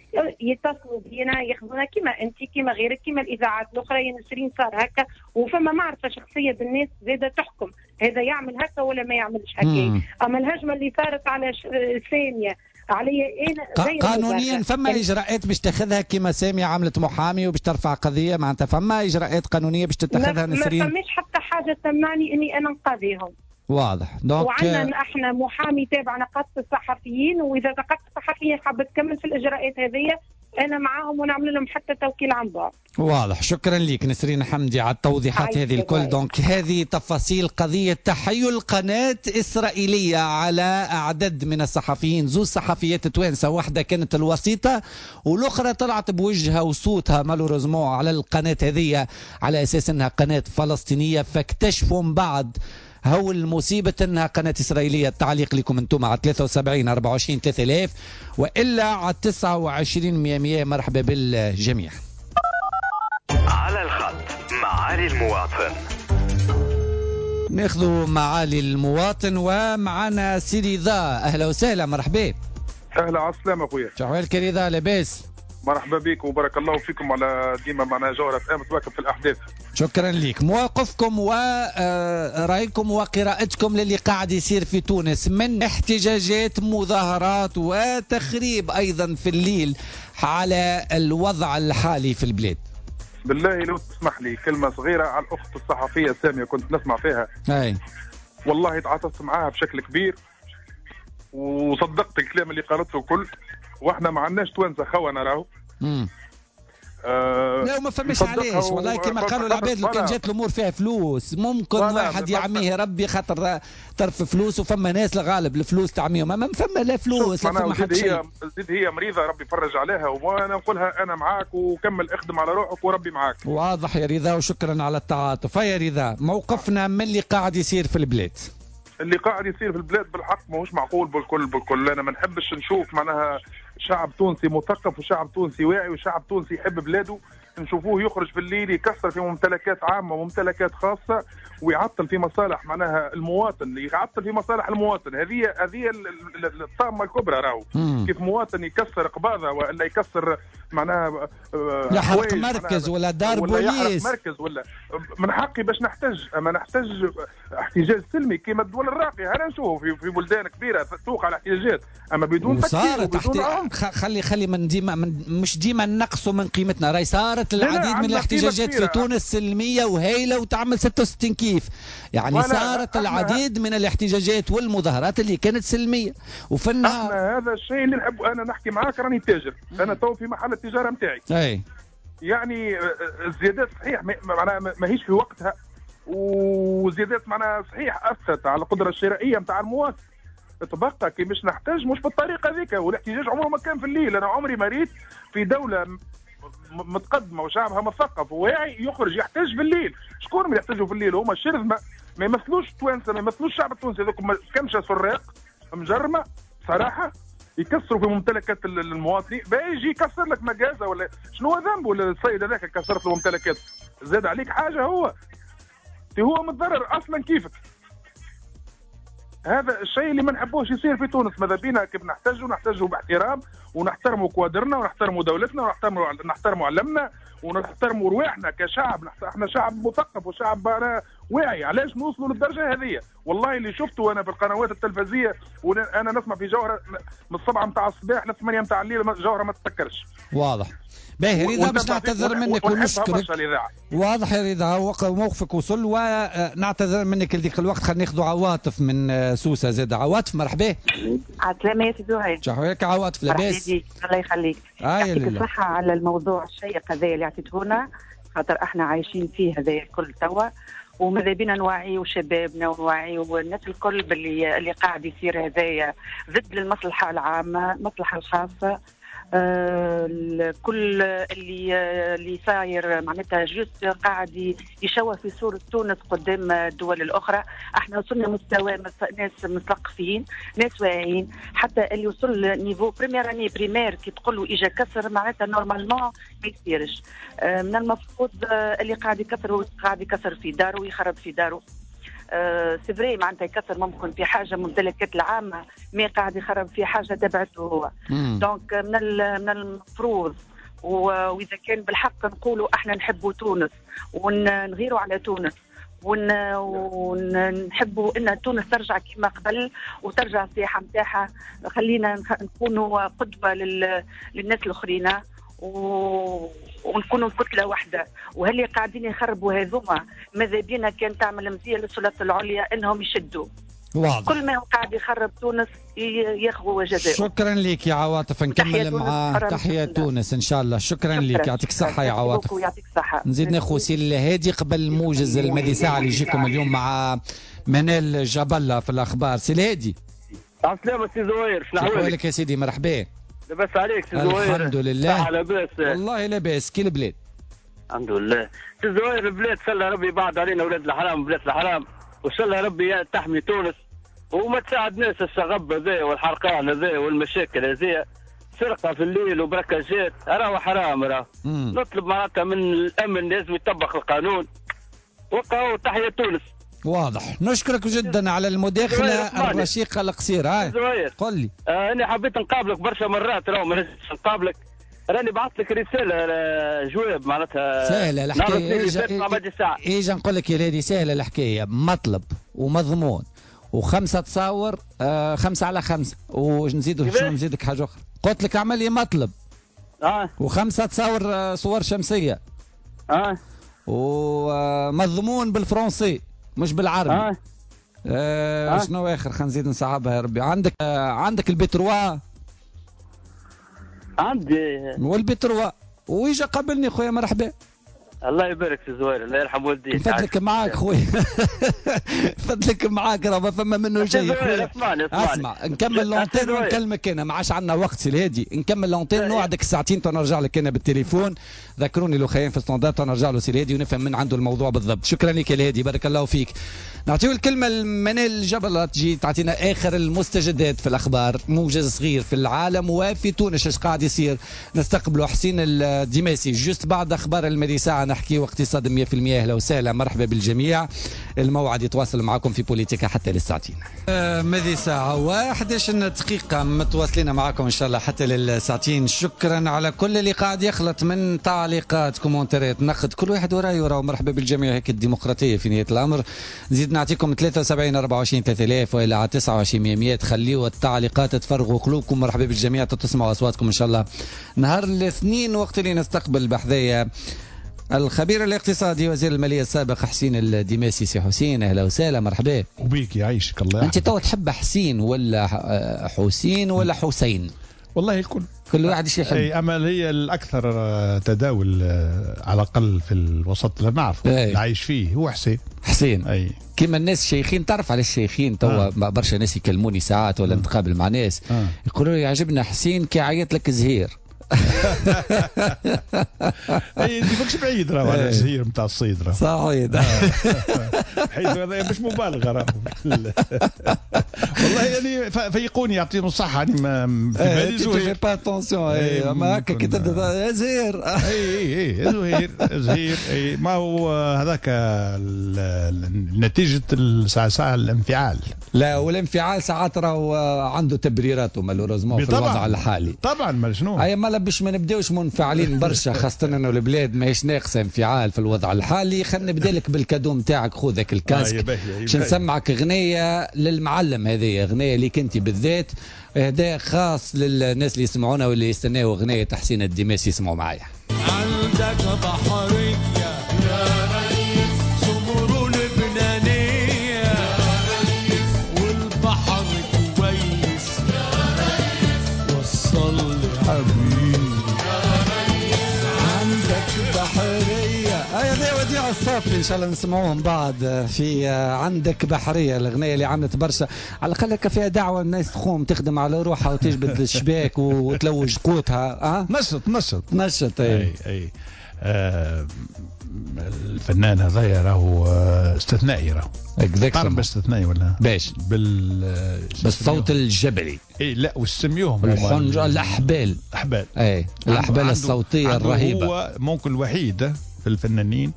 يتصلوا بينا ياخذونا كما انت كما غيرك كما الاذاعات الاخرى، يا نسرين صار هكا، وفما معرفة شخصية بالناس زاده تحكم هذا يعمل هكا ولا ما يعملش هكا. اما الهجمة اللي صارت على سامية علي انا غير قانونيا، فما اجراءات باش تاخذها كما سامية عملت محامي وباش ترفع قضية، معناتها فما اجراءات قانونية باش تتخذها نسرين؟ ما فماش حتى حاجة تمنعني اني انا نقاضيهم. واضح. donc وعندنا احنا محامي تابع نقابة الصحفيين، واذا نقابة الصحفيين حابة تكمل في الاجراءات هذه انا معاهم ونعمل لهم حتى توكيل عن بعد. واضح. شكرا لك نسرين حمدي على التوضيحات هذه الكل. donc هذه تفاصيل قضية تحيل قناة إسرائيلية على أعداد من الصحفيين، زوج صحفيات توانسة، واحدة كانت الوسيطة والأخرى طلعت بوجهها وصوتها malheureusement على القناة هذه على أساس أنها قناة فلسطينية، فاكتشفوا من بعد هو المصيبة أنها قناة إسرائيلية. التعليق لكم أنتم على 73 24 3000 وإلا على 29 100. مرحبا بالجميع. على الخط معالي المواطن. ناخذ معالي المواطن ومعنا سي رضا. أهلا وسهلا، مرحبا. أهلا، على السلامة أخويا. شحوالك رضا، لاباس؟ مرحبا بك وبارك الله فيكم على ديما معنا جوهرة FM تواكب في الأحداث. شكرا لك. مواقفكم ورأيكم وقراءتكم للي قاعد يصير في تونس من احتجاجات، مظاهرات وتخريب أيضا في الليل على الوضع الحالي في البلاد. بالله لو تسمح لي كلمة صغيرة على الأخت الصحفية سامية، كنت نسمع فيها. أي. والله تعاطفت معاها بشكل كبير وصدقت الكلام اللي قالته كل، واحنا ما عندناش توانسة خونه راهو. لا ما فماش علاش والله، كما قالوا العباد لو كان جات الامور فيها فلوس ممكن واحد يعميه ربي خاطر طرف فلوس، وفما ناس الغالب الفلوس تعميهم، اما فما لا فلوس لا فما حتى شيء. زيد هي مريضه ربي يفرج عليها، وانا نقولها انا معاك وكمل اخدم على روحك وربي معاك. واضح يا رضا وشكرا على التعاطف. يا رضا، موقفنا من اللي قاعد يصير في البلاد. اللي قاعد يصير في البلاد بالحق ماهوش معقول بالكل بالكل. انا ما نحبش نشوف معناها شعب تونسي مثقف وشعب تونسي واعي وشعب تونسي يحب بلاده نشوفوه يخرج في الليل يكسر في ممتلكات عامة وممتلكات خاصة ويعطل في مصالح معناها المواطن، يعطل في مصالح المواطن. هذه الطامة الكبرى راهو. كيف مواطن يكسر قباضه ولا يكسر معناها يحرق مركز ولا دار ولا بوليس، يحرق مركز، ولا من حقي باش نحتج، اما نحتج احتجاج سلمي كما الدول الراقية. هنا نشوفوا في بلدان كبيرة توقع الاحتجاجات، اما بدون تكسير وبدون عنف. خلي من ديما مش ديما نقصوا من قيمتنا. راهي صارت العديد من الاحتجاجات في تونس سلمية وهايله وتعمل 66 كيف، يعني صارت العديد من الاحتجاجات والمظاهرات اللي كانت سلمية. وفي النهار احنا هذا الشيء اللي نحب. انا نحكي معاك راني تاجر، انا تو في محل التجارة نتاعي. اي يعني الزيادات صحيح معناها ماهيش في وقتها، وزيادات معناها صحيح اثرت على القدرة الشرائية نتاع المواطن. تبقى كي باش نحتاج مش بالطريقة ذيك، والاحتجاج عمره ما كان في الليل. انا عمري ما ريت في دولة متقدمة وشعبها مثقف وواعي يخرج يحتج في الليل. شكون اللي يحتجوا في الليل؟ هما الشرذمه، ما يمثلوش التوانسة، ما يمثلوش الشعب التونسي. هذوك كمشه سراق مجرمه صراحة، يكسروا في ممتلكات المواطنين. باجي يكسر لك مجازه ولا شنو ذنبه السيد هذاك كسرت له ممتلكات؟ زاد عليك حاجة؟ هو متضرر اصلا كيفك. هذا الشيء اللي ما نحبوش يصير في تونس. ماذا بينا كيف نحتاجوا نحتاجوا باحترام، ونحترموا كوادرنا ونحترموا دولتنا ونحترموا علمنا ونحترموا رواحنا كشعب. احنا شعب مثقف وشعب واعي. علاش نوصلوا للدرجة هذه؟ والله اللي شفته انا في القنوات التلفزيونية، وانا نسمع في جوهره من 7 متاع الصباح ل 8 متاع الليل، جوهره ما تتسكرش. واضح. باهي رضا، باش نعتذر منك ونشكرك. واضح يا رضا، موقفك وصل ونعتذر منك لذيك الوقت. خلينا ناخذ عواطف من سوسة زاد. عواطف مرحبا. عسلامة يا سيدي زهير. شحوالك عواطف؟ لاباس؟ الله يخليك. يعطيك الصحة على الموضوع الشيق هذا اللي عطيتهونا، خاطر احنا عايشين فيه هذا الكل توا، وماذا بينا نوعيو شبابنا ونوعيو الناس الكل باللي اللي قاعد يصير هذايا ضد المصلحة العامة، المصلحة الخاصة. كل اللي صاير معناتها juste قاعد يشوه في صورة تونس قدام الدول الأخرى. احنا وصلنا مستوى ناس مثقفين، ناس واعيين، حتى اللي وصل niveau première année primaire كي تقول له اجا كسر معناتها normalement ما يصيرش. من المفروض اللي قاعد يكسر هو قاعد يكسر في داره ويخرب في داره. c'est vrai معناتها يكسر ممكن في حاجة ممتلكات العامة، mais قاعد يخرب في حاجة تبعته هو. donc من المفروض، واذا كان بالحق نقولوا احنا نحبوا تونس ونغيروا على تونس ونحبوا ان تونس ترجع كما قبل وترجع السياحة نتاعها، خلينا نكونوا قدوة للناس الاخرين ونكونوا كتلة واحدة. وهل قاعدين يخربوا هذوما ماذا بينا كان تعمل مزية للسلطات العليا انهم يشدوا. واضح. كل ما هو قاعد يخرب تونس ياخذوا جزاءه. شكرا لك يا عواطف، نكمل مع تحية تونس ان شاء الله. شكرا لك، يعطيك الصحة يا عواطف. يعطيك الصحة. نزيد ناخذ سي الهادي قبل موجز المدي ساعة اللي يجيكم اليوم مع منال جبلة في الاخبار. سي الهادي. عسلامة سي زهير، شنو احوالك يا سيدي؟ مرحبا. لاباس عليك سي زهير؟ الحمد لله لاباس والله، لاباس كي البلاد. الحمد لله سي زهير. البلاد ان شاء الله ربي بعد علينا اولاد الحرام بلاد الحرام، وان شاء الله ربي تحمي تونس وما تساعدناش الشغب هذا والحرقان هذا والمشاكل هذه، سرقه في الليل وبركاجات، راهو حرام. راه نطلب معناتها من الامن لازم يطبق القانون. وقعوا تحية تونس. واضح. نشكرك جدا على المداخلة الرشيقه القصيرة. قل لي. انا حبيت نقابلك برشا مرات، راهو ما نجمش نقابلك، راني بعثت لك رسالة جواب معناتها. سهلة الحكاية. اجا نقول لك يا لادي، سهلة الحكاية، مطلب ومضمون وخمسة تصاور، 5 على 5، ونزيد شنو نزيدك حاجة اخرى. قلت لك اعمل لي مطلب وخمسة تصاور صور شمسية ومضمون بالفرنسي مش بالعربي. شنو اخر؟ خلينا نزيد نصعبها يا ربي. عندك ال B3؟ عندي. وال B3 ويجا قابلني خويا، مرحبا. الله يبارك في زهير، الله يرحم والديك. فضلك معاك خويا، فضلك معاك، راه ما فما منه شيء. اسمعني اسمع، نكمل l'antenne ونكلمك انا، ما عادش عندنا وقت سي الهادي، نكمل l'antenne نوعدك ساعتين نرجع لك انا بالتليفون. ذكروني لو خيان في standard نرجع له سي الهادي ونفهم من عنده الموضوع بالضبط. شكرا لك يا الهادي، بارك الله فيك. نعطيو الكلمة لمنال جبل تجي تعطينا اخر المستجدات في الاخبار، موجز صغير في العالم وفي تونس اش قاعد يصير. نستقبلوا حسين الديماسي juste بعد اخبار المدي ساعة، نحكيو اقتصاد 100%. اهلا وسهلا، مرحبا بالجميع. الموعد يتواصل معكم في بوليتيكا حتى للساعتين. ماذي ساعة و11 دقيقة متواصلين معكم إن شاء الله حتى للساعتين. شكرا على كل اللي قاعد يخلط من تعليقات، كومنتات، نقد، كل واحد ورايه وراه. مرحبا بالجميع، هيك الديمقراطية في نهاية الأمر. نزيد نعطيكم 73 24 3000 وإلى 29 100. خليوا التعليقات تفرغوا قلوبكم. مرحبا بالجميع، تسمعوا أصواتكم إن شاء الله نهار الاثنين وقت اللي نستقبل بحذايا الخبير الاقتصادي وزير المالية السابق حسين الديماسي. سي حسين اهلا وسهلا، مرحبا. وبيك يعيشك الله. انت تو تحب حسين ولا حسين ولا حسين؟ والله الكل، كل واحد ايش يحب. اي اما هي الاكثر تداول على الاقل في الوسط اللي نعرفه اللي عايش فيه هو حسين. حسين اي كيما الناس الشيخين، تعرف على الشيخين توا برشا ناس يكلموني ساعات ولا نتقابل مع ناس يقولوا لي يعجبنا حسين كي عيط لك زهير. اي انت ماكش بعيد راهو على الزهير نتاع الصيد راهو. صحيح، حيث هذا مش مبالغه راهو. والله يعني فيقوني يعطيهم الصحة، يعني ما في بالي زهير. pas attention، ما هكا كي تبدا زهير. اي اي زهير زهير. اي ما هو هذاك نتيجة ساعة الانفعال. لا، والانفعال ساعات راهو عنده تبريراته malheureusement في الوضع الحالي. طبعا، ما شنو اي ما باش ما نبداوش منفعلين برشا، خاصة انه البلاد ماهيش ناقصة انفعال في الوضع الحالي. خلينا نبدا لك بال cadeau نتاعك، خذك ال casque باش نسمعك غنية للمعلم. هذه غنية ليك انت بالذات، اهداء خاص للناس اللي يسمعونا واللي يستناو غنية حسين الديماسي. يسمعوا معايا. عندك بحرية يا ريس، سمر لبنانية يا ريس، والبحر كويس يا ريس، وصل لي حبيبي عندك بحرية. هذا وديع الصافي، إن شاء الله نسمعوهم بعد في عندك بحرية، الأغنية اللي عملت برشا على الأقل هكا فيها دعوة الناس تقوم تخدم على روحها وتجبد الشباك وتلوج قوتها. نشط نشط نشط. أي أي الفنان هذايا راهو استثنائي، راهو تعرف استثنائي ولا باش بالصوت الجبلي. اي لا، وسميوهم الحنجرة، الاحبال. الاحبال، اي الاحبال الصوتية الرهيبة. هو ممكن الوحيد في الفنانين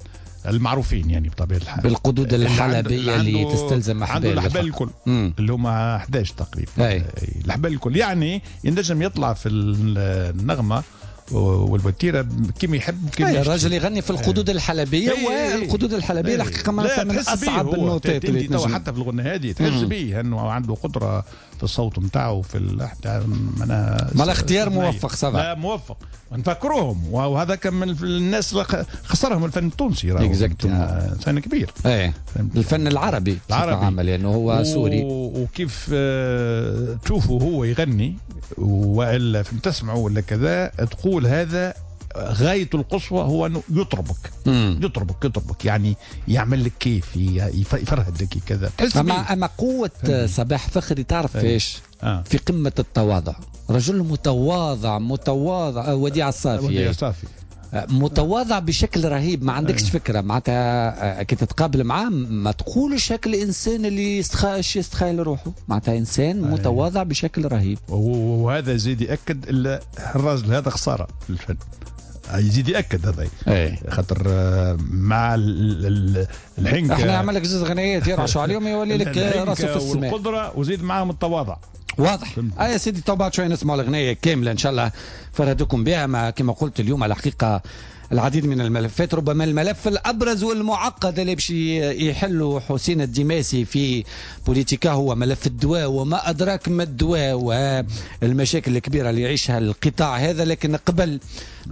المعروفين يعني بطبيعة الحال بالقدود الحلبية اللي تستلزم احبال، عنده الاحبال الكل اللي هما 11 تقريبا. أي. الاحبال الكل، يعني ينجم يطلع في النغمة والوتيره كيما يحب كيما الراجل يغني في القدود الحلبية. والقدود الحلبية الحقيقة من اصعب النوتات اللي تنجم حتى في الغناء هذه تحس بيه انه عنده قدره في الصوت نتاعو في معناها ما الاختيار موفق. صبا لا موفق، نفكروهم. وهذا كان من الناس اللي خسرهم الفن التونسي، انسان كبير. ايه الفن العربي العربي لانه هو سوري. وكيف تشوفه هو يغني والا تسمعه ولا كذا تقول هذا غاية القصوى هو أنه يطربك. يطربك يطربك، يعني يعمل لك كيف، يفرهدك كذا. أما قوة صباح فخري تعرف فيش؟ في قمة التواضع، رجل متواضع متواضع. وديع الصافي، وديع الصافي متواضع بشكل رهيب، ما عندكش فكرة معناتها كي تتقابل معاه ما تقولش هاك الإنسان اللي يستخيل روحه، معناتها إنسان متواضع بشكل رهيب. وهذا زيد يأكد الراجل هذا خسارة في الفن، يزيد يأكد هذا. خاطر مع الحنكة احنا عمل لك زوج غنيات يرعشوا عليهم يولي لك راسه في السماء، والقدرة وزيد معاهم التواضع. واضح. يا سيدي تو بعد شوي نسمعوا الأغنية كاملة إن شاء الله فرهدكم بها. ما كما قلت اليوم على الحقيقة العديد من الملفات، ربما الملف الأبرز والمعقد اللي باش يحله حسين الديماسي في بوليتيكا هو ملف الدواء، وما أدراك ما الدواء والمشاكل الكبيرة اللي يعيشها القطاع هذا. لكن قبل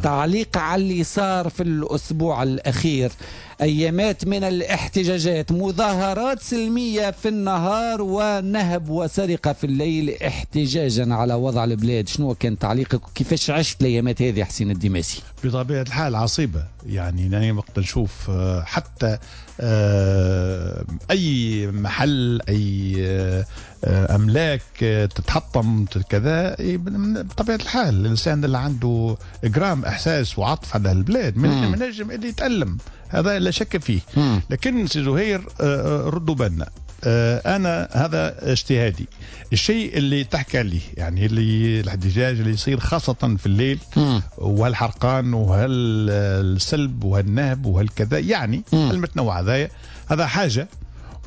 تعليق على اللي صار في الأسبوع الأخير، أيامات من الاحتجاجات، مظاهرات سلمية في النهار ونهب وسرقة في الليل احتجاجا على وضع البلاد، شنو كان تعليقك وكيفاش عشت الأيامات هذه حسين الديماسي؟ بطبيعة الحال عصيبة يعني. أنا وقت نشوف حتى أي محل، أي أملاك تتحطم كذا، بطبيعة الحال الإنسان اللي عنده جرام إحساس وعطف على البلاد من نجم اللي يتألم، هذا لا شك فيه. لكن سي زهير ردوا بالنا، أنا هذا اجتهادي، الشيء اللي تحكي عليه يعني اللي الاحتجاج اللي يصير خاصة في الليل وهالحرقان وهالسلب وهالنهب وهالكذا، يعني المتنوع هذا، هذا حاجة،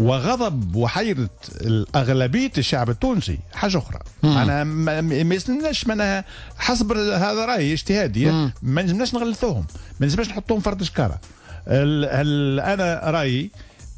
وغضب وحيرة الأغلبية الشعب التونسي حاجة أخرى. أنا ما يسلمناش معناها، حسب هذا رأيي اجتهادي، ما نجمناش نغلطوهم، ما نجمناش نحطوهم فرد شكارة. أنا رأيي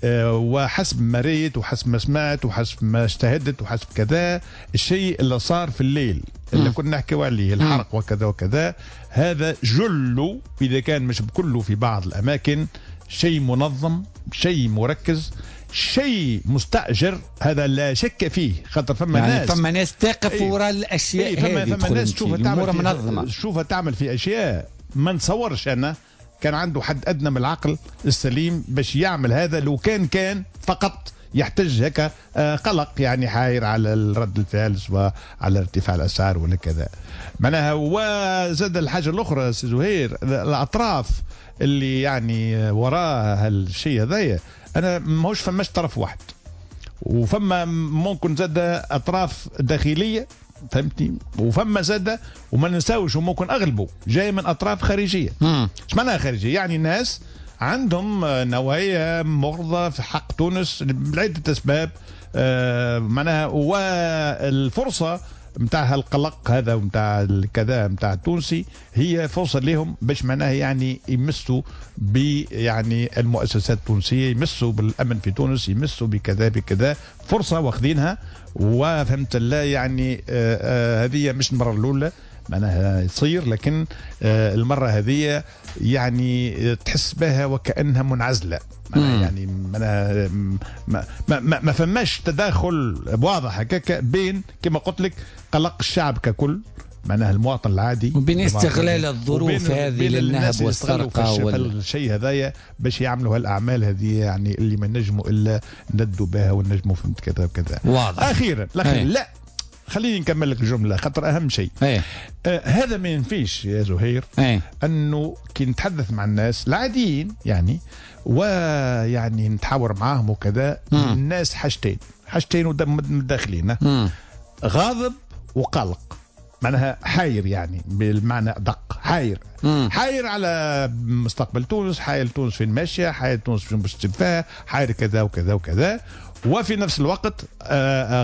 وحسب ما ريت وحسب ما سمعت وحسب ما اجتهدت وحسب كذا، الشيء اللي صار في الليل اللي كنا نحكيو عليه، الحرق وكذا وكذا، هذا جله إذا كان مش بكله في بعض الأماكن شيء منظم، شيء مركز، شيء مستأجر، هذا لا شك فيه. خاطر فما يعني ناس، فما ناس تقف وراء الأشياء هذه، فما ناس تشوفها تعمل في أشياء ما نتصورش أنا كان عنده حد أدنى من العقل السليم باش يعمل هذا، لو كان فقط يحتج هكا قلق يعني، حاير على الرد الفعل سواء على ارتفاع الأسعار ولا كذا معناها. وزاد الحاجة الأخرى سي زهير، الأطراف اللي يعني وراء هالشيء هذايا، أنا ماهوش فماش طرف واحد، وفما ممكن زاد أطراف داخلية، فهمتني، وفما زاد وما ننساوش وممكن أغلبه جاي من أطراف خارجية. ايش معناها خارجية؟ يعني ناس عندهم نوايا مغرضة في حق تونس لعدة أسباب، معناها، والفرصة متاع القلق هذا ومتاع الكذا متاع التونسي هي فرصة لهم باش معناها يعني يمسوا ب يعني المؤسسات التونسية، يمسوا بالأمن في تونس، يمسوا بكذا بكذا، فرصة واخذينها. وفهمت لا يعني هذه مش المرة الأولى معناها يصير، لكن المرة هذه يعني تحس بها وكأنها منعزلة، يعني معناها ما فماش تداخل واضح هكاك بين كما قلت لك قلق الشعب ككل معناها المواطن العادي، وبين استغلال الظروف هذه للنهب والسرقة والشيء هذايا باش يعملوا هالأعمال هذه، يعني اللي ما نجموا إلا ندوا بها ونجموا فهمت كذا وكذا. واضح. أخيرا لا خليني نكمل لك الجملة خاطر أهم شيء. هذا ما ينفيش يا زهير أنه كي نتحدث مع الناس العاديين يعني ويعني نتحاور معاهم وكذا، الناس حاجتين متداخلين، غاضب وقلق، معناها حاير يعني بالمعنى أدق، حاير حاير على مستقبل تونس، حاير تونس فين ماشية، حاير تونس فين باش تبقى، حاير كذا وكذا وكذا، وفي نفس الوقت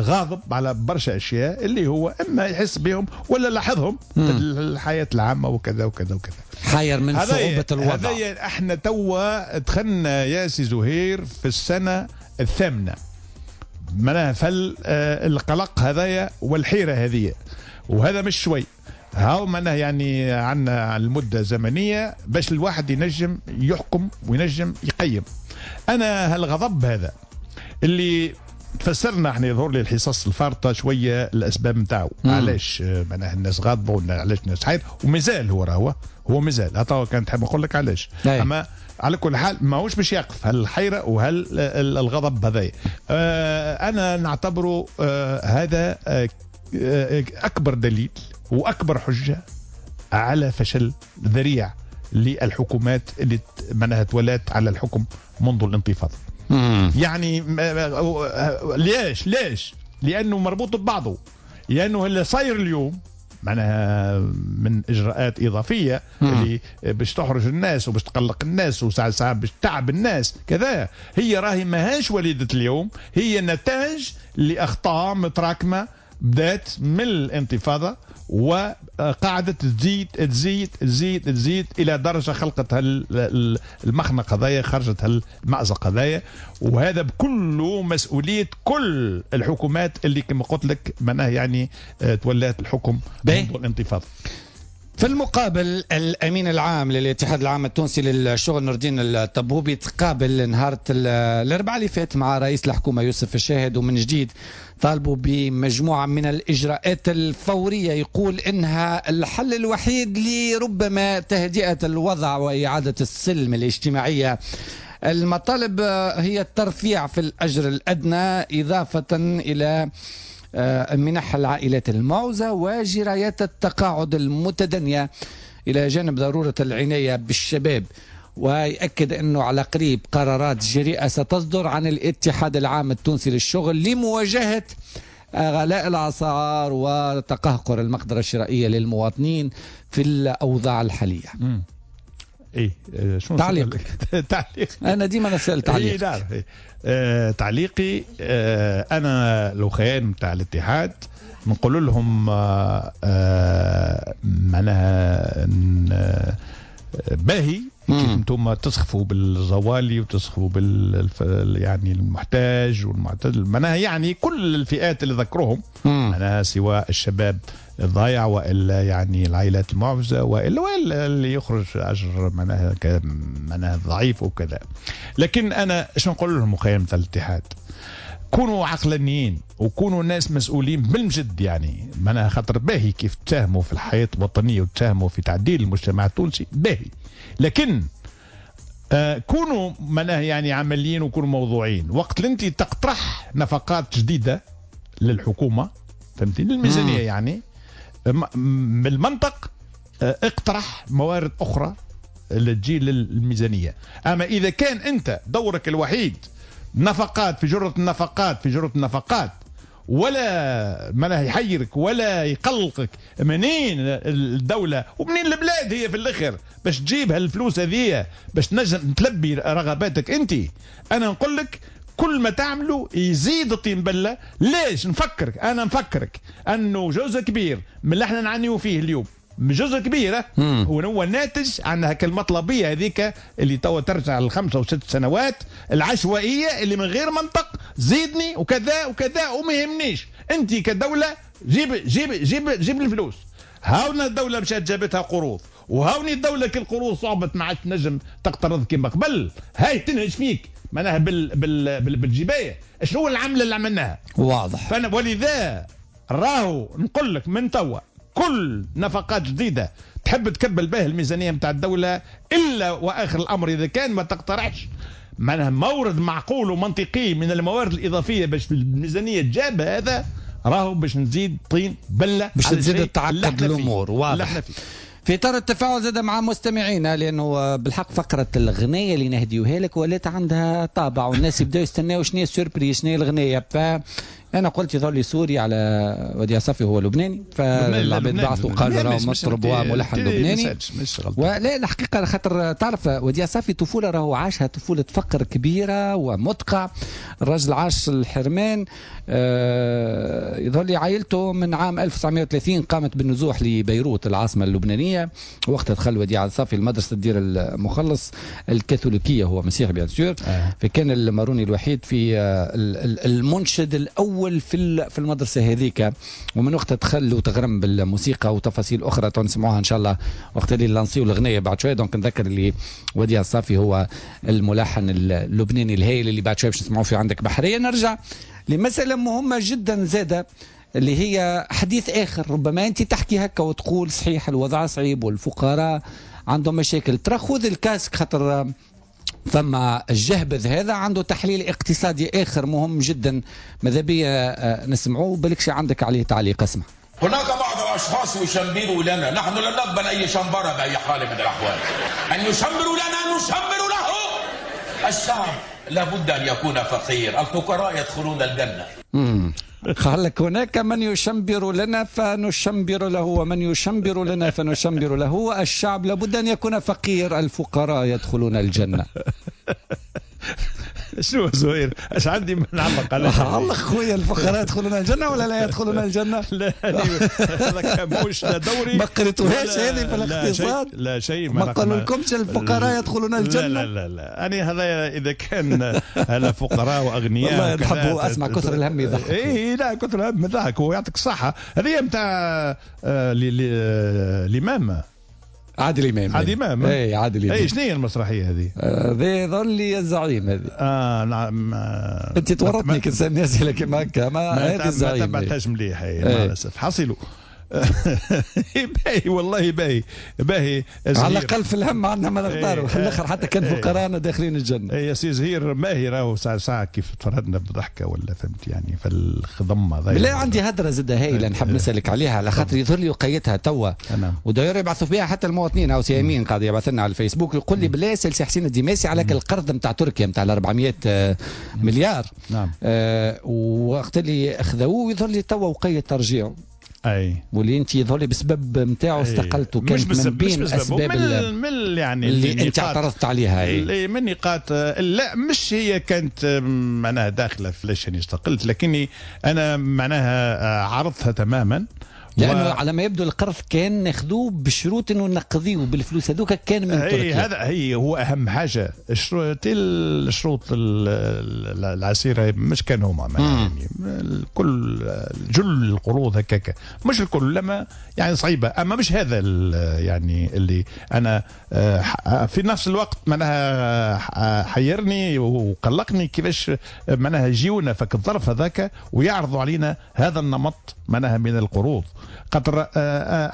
غاضب على برشا أشياء اللي هو إما يحس بهم ولا لاحظهم في الحياة العامة وكذا وكذا وكذا. حاير من صعوبة الوضع. هذا احنا توا دخلنا يا سي زهير في السنة الثامنة معناها فالقلق هذايا والحيرة هذه، وهذا مش شوي، هاو معناها يعني عندنا المدة زمنية باش الواحد ينجم يحكم وينجم يقيم. أنا هالغضب هذا اللي تفسرنا احنا يظهر لي الحصص الفارطه شوية الاسباب نتاعو، علاش معناها الناس غاضبه وعلاش الناس حاير، ومازال هو راهو هو مازال عطاو كان تحب نقول لك علاش. اما على كل حال ماهوش باش يقف هالحيره وهالغضب هذايا. انا نعتبره هذا اكبر دليل واكبر حجه على فشل ذريع للحكومات اللي معناها تولات على الحكم منذ الانتفاضة. يعني ليش؟ لأنه مربوط ببعضه، لأنه اللي صاير اليوم معناها من إجراءات إضافية اللي باش تحرج الناس وباش تقلق الناس وساعة ساعة باش تعب الناس كذا، هي راهي ماهاش وليدة اليوم، هي نتاج لأخطاء متراكمة بدات من الانتفاضة وقعدت تزيد تزيد تزيد تزيد إلى درجة خلقت المخنق هذايا، خرجت المأزق هذايا، وهذا بكله مسؤولية كل الحكومات اللي كما قلت لك معناها يعني تولات الحكم منذ الانتفاضة. في المقابل الأمين العام للاتحاد العام التونسي للشغل نور الدين الطبوبي تقابل نهار الأربعاء اللي فات مع رئيس الحكومة يوسف الشاهد، ومن جديد طالبوا بمجموعة من الإجراءات الفورية يقول إنها الحل الوحيد لربما تهدئة الوضع وإعادة السلم الاجتماعية. المطالب هي الترفيع في الأجر الأدنى، إضافة إلى منح العائلات المعوزة وجرايات التقاعد المتدنية، إلى جانب ضرورة العناية بالشباب. ويأكد أنه على قريب قرارات جريئة ستصدر عن الاتحاد العام التونسي للشغل لمواجهة غلاء الأسعار وتقهقر المقدرة الشرائية للمواطنين في الأوضاع الحالية. ايه شنو تعليق؟ تعليق انا ديما نسال تعليق. إيه نعرف. إيه. تعليقي انا لو خيان نتاع الاتحاد نقول لهم معناها باهي كيف انتم تسخفوا بالزوالي وتسخفوا بال يعني المحتاج والمعتدل، معناها يعني كل الفئات اللي ذكرهم، معناها سواء الشباب الضايع والا يعني العائلات المعوزه والا اللي يخرج اجر معناها معناها ضعيف وكذا. لكن انا ايش نقول لهم خيام الاتحاد؟ كونوا عقلانيين وكونوا ناس مسؤولين بالمجد، يعني معناها خاطر باهي كيف تساهموا في الحياة الوطنية وتساهموا في تعديل المجتمع التونسي باهي، لكن كونوا معناها يعني عمليين وكونوا موضوعيين. وقت اللي انت تقترح نفقات جديدة للحكومة، فهمتني، للميزانيه يعني بالمنطق اقترح موارد اخرى اللي تجي للميزانيه. اما اذا كان انت دورك الوحيد نفقات في جرة النفقات في جرة النفقات، ولا ما يحيرك ولا يقلقك منين الدولة ومنين البلاد هي في الآخر باش تجيب هالفلوس هذه باش تنجم تلبي رغباتك انت، انا نقول لك كل ما تعمله يزيد الطين بلة. ليش؟ نفكرك، انا نفكرك انه جزء كبير من اللي احنا نعانيو فيه اليوم، جزء كبير وهو ناتج عن هاك المطلبيه هذيك اللي توا ترجع ل5 و6 سنوات العشوائية اللي من غير منطق، زيدني وكذا وكذا وما يهمنيش انت كدولة، جيب جيب جيب جيب الفلوس. هاونا الدولة مشات جابتها قروض، وهاوني الدولة كل قروض صعبت ما عادش تنجم تقترض كما قبل، هاي تنهج فيك معناها بالجبايه. شنو العملة اللي عملناها؟ واضح. فانا ولذا راهو نقول لك من توا كل نفقات جديدة تحب تكبل به الميزانية نتاع الدولة، إلا وآخر الأمر إذا كان ما تقترحش معناها مورد معقول ومنطقي من الموارد الإضافية باش الميزانية تجاب هذا، راهو باش نزيد طين بلة، باش تزيد تعقد الأمور. واضح. في إطار التفاعل زاد مع مستمعينا، لأنه بالحق فقرة الغنية اللي نهديوها لك ولات عندها طابع، والناس يبداو يستناو شنو هي ال surprise، شنو هي الغنية. فأنا قلت يظهر لي سوري على وديع صافي، هو لبناني، فالعباد بعثوا قالوا راهو مطرب وملحن لبناني. ولا الحقيقة خاطر تعرف وديع صافي طفولة راهو عاشها طفولة فقر كبيرة ومدقع، الرجل عاش الحرمان. يظهر لي عائلته من عام 1930 قامت بالنزوح لبيروت العاصمة اللبنانية، وقتها دخل وديع صافي المدرسة الدير المخلص الكاثوليكية، هو مسيحي bien sûr. فكان الماروني الوحيد في المنشد الأول في المدرسة هذيك، ومن وقتها دخل وتغرم بالموسيقى وتفاصيل أخرى نسمعوها إن شاء الله وقت اللي لانسيو الأغنية بعد شوية. donc نذكر اللي وديع الصافي هو الملحن اللبناني الهائل اللي بعد شوية باش نسمعوه في عندك بحرية. نرجع لمسألة مهمة جدا زادة اللي هي حديث آخر، ربما أنت تحكي هكا وتقول صحيح الوضع صعيب والفقراء عندهم مشاكل، ترى خذ ال casque خاطر ثم الجهبذ هذا عنده تحليل اقتصادي آخر مهم جدا، ماذا بيا نسمعوه، بالكش عندك عليه تعليق. اسمع. هناك بعض الأشخاص يشمبروا لنا، نحن لن نقبل أي شمبرة بأي حال من الأحوال، أن يشمبروا لنا نشمبر له. الشعب لابد أن يكون فقير، الفقراء يدخلون الجنة. قال لك هناك من يشمبر لنا فنشمبر له، ومن يشمبر لنا فنشمبر له، الشعب لابد أن يكون فقير، الفقراء يدخلون الجنة. شنو زهير؟ اش عندي ما نعلق عليه؟ علق خويا، الفقراء يدخلون الجنة ولا لا يدخلون الجنة؟ لا هذاك مش لا دوري. ما قريتوهاش هذه في الاقتصاد؟ لا شيء، ما قالوا لكمش الفقراء يدخلون الجنة؟ لا لا لا، انا هذا اذا كان هلا فقراء واغنياء والله نحبوا. اسمع، كثر الهم يضحك. اي لا، كثر الهم يضحك ويعطيك الصحة. هذه نتاع الامام عادل امام. عادل امام. اي عادل امام. اي شنو هي المسرحية هذه؟ هذه ظل لي الزعيم هذه. نعم. انت تورطني كي تسالني اسئلة كيما هكا. ما هذه الزعيم ما تبعتهاش مليح مع الاسف. حصلوا باهي والله، باهي باهي. على الاقل في الهم عندنا ما نختاروا في الاخر، حتى كان فقراءنا داخلين الجنة. يا سي زهير ماهي راهو ساعة ساعة كيف تفرهدنا بضحكه ولا فهمت يعني في الخضم هذا. لا عندي هدره زاده هايلة نحب نسالك عليها، على خاطر يظهر لي وقيتها توا وداير يبعثوا فيها حتى المواطنين، او سي امين قاعد يبعث لنا على الفيسبوك يقول لي بالله سال سي حسين الديماسي على القرض نتاع تركيا نتاع 400 مليار. نعم. وقت اللي اخذوه يظهر لي توا وقيت ترجيعه. اي واللي انت يظهر لي بسبب نتاعو استقلت، وكانت من بين اسباب من يعني اللي انت اعترضت عليها. اي من نقاط، لا مش هي كانت معناها داخله في ليش اني استقلت، لكني انا معناها عرضتها تماما، لانه على ما يبدو القرض كان ناخذوه بشروط انه نقضيه بالفلوس هذوك كان من تركيا. هذا هي هو اهم حاجة، الشروط العسيره مش كان هما يعني كل جل القروض هكاك، مش الكل لما يعني صعيبة، اما مش هذا يعني اللي انا في نفس الوقت معناها حيرني وقلقني كيفاش معناها يجيونا فك الظرف هذاك ويعرضوا علينا هذا النمط معناها من القروض. خاطر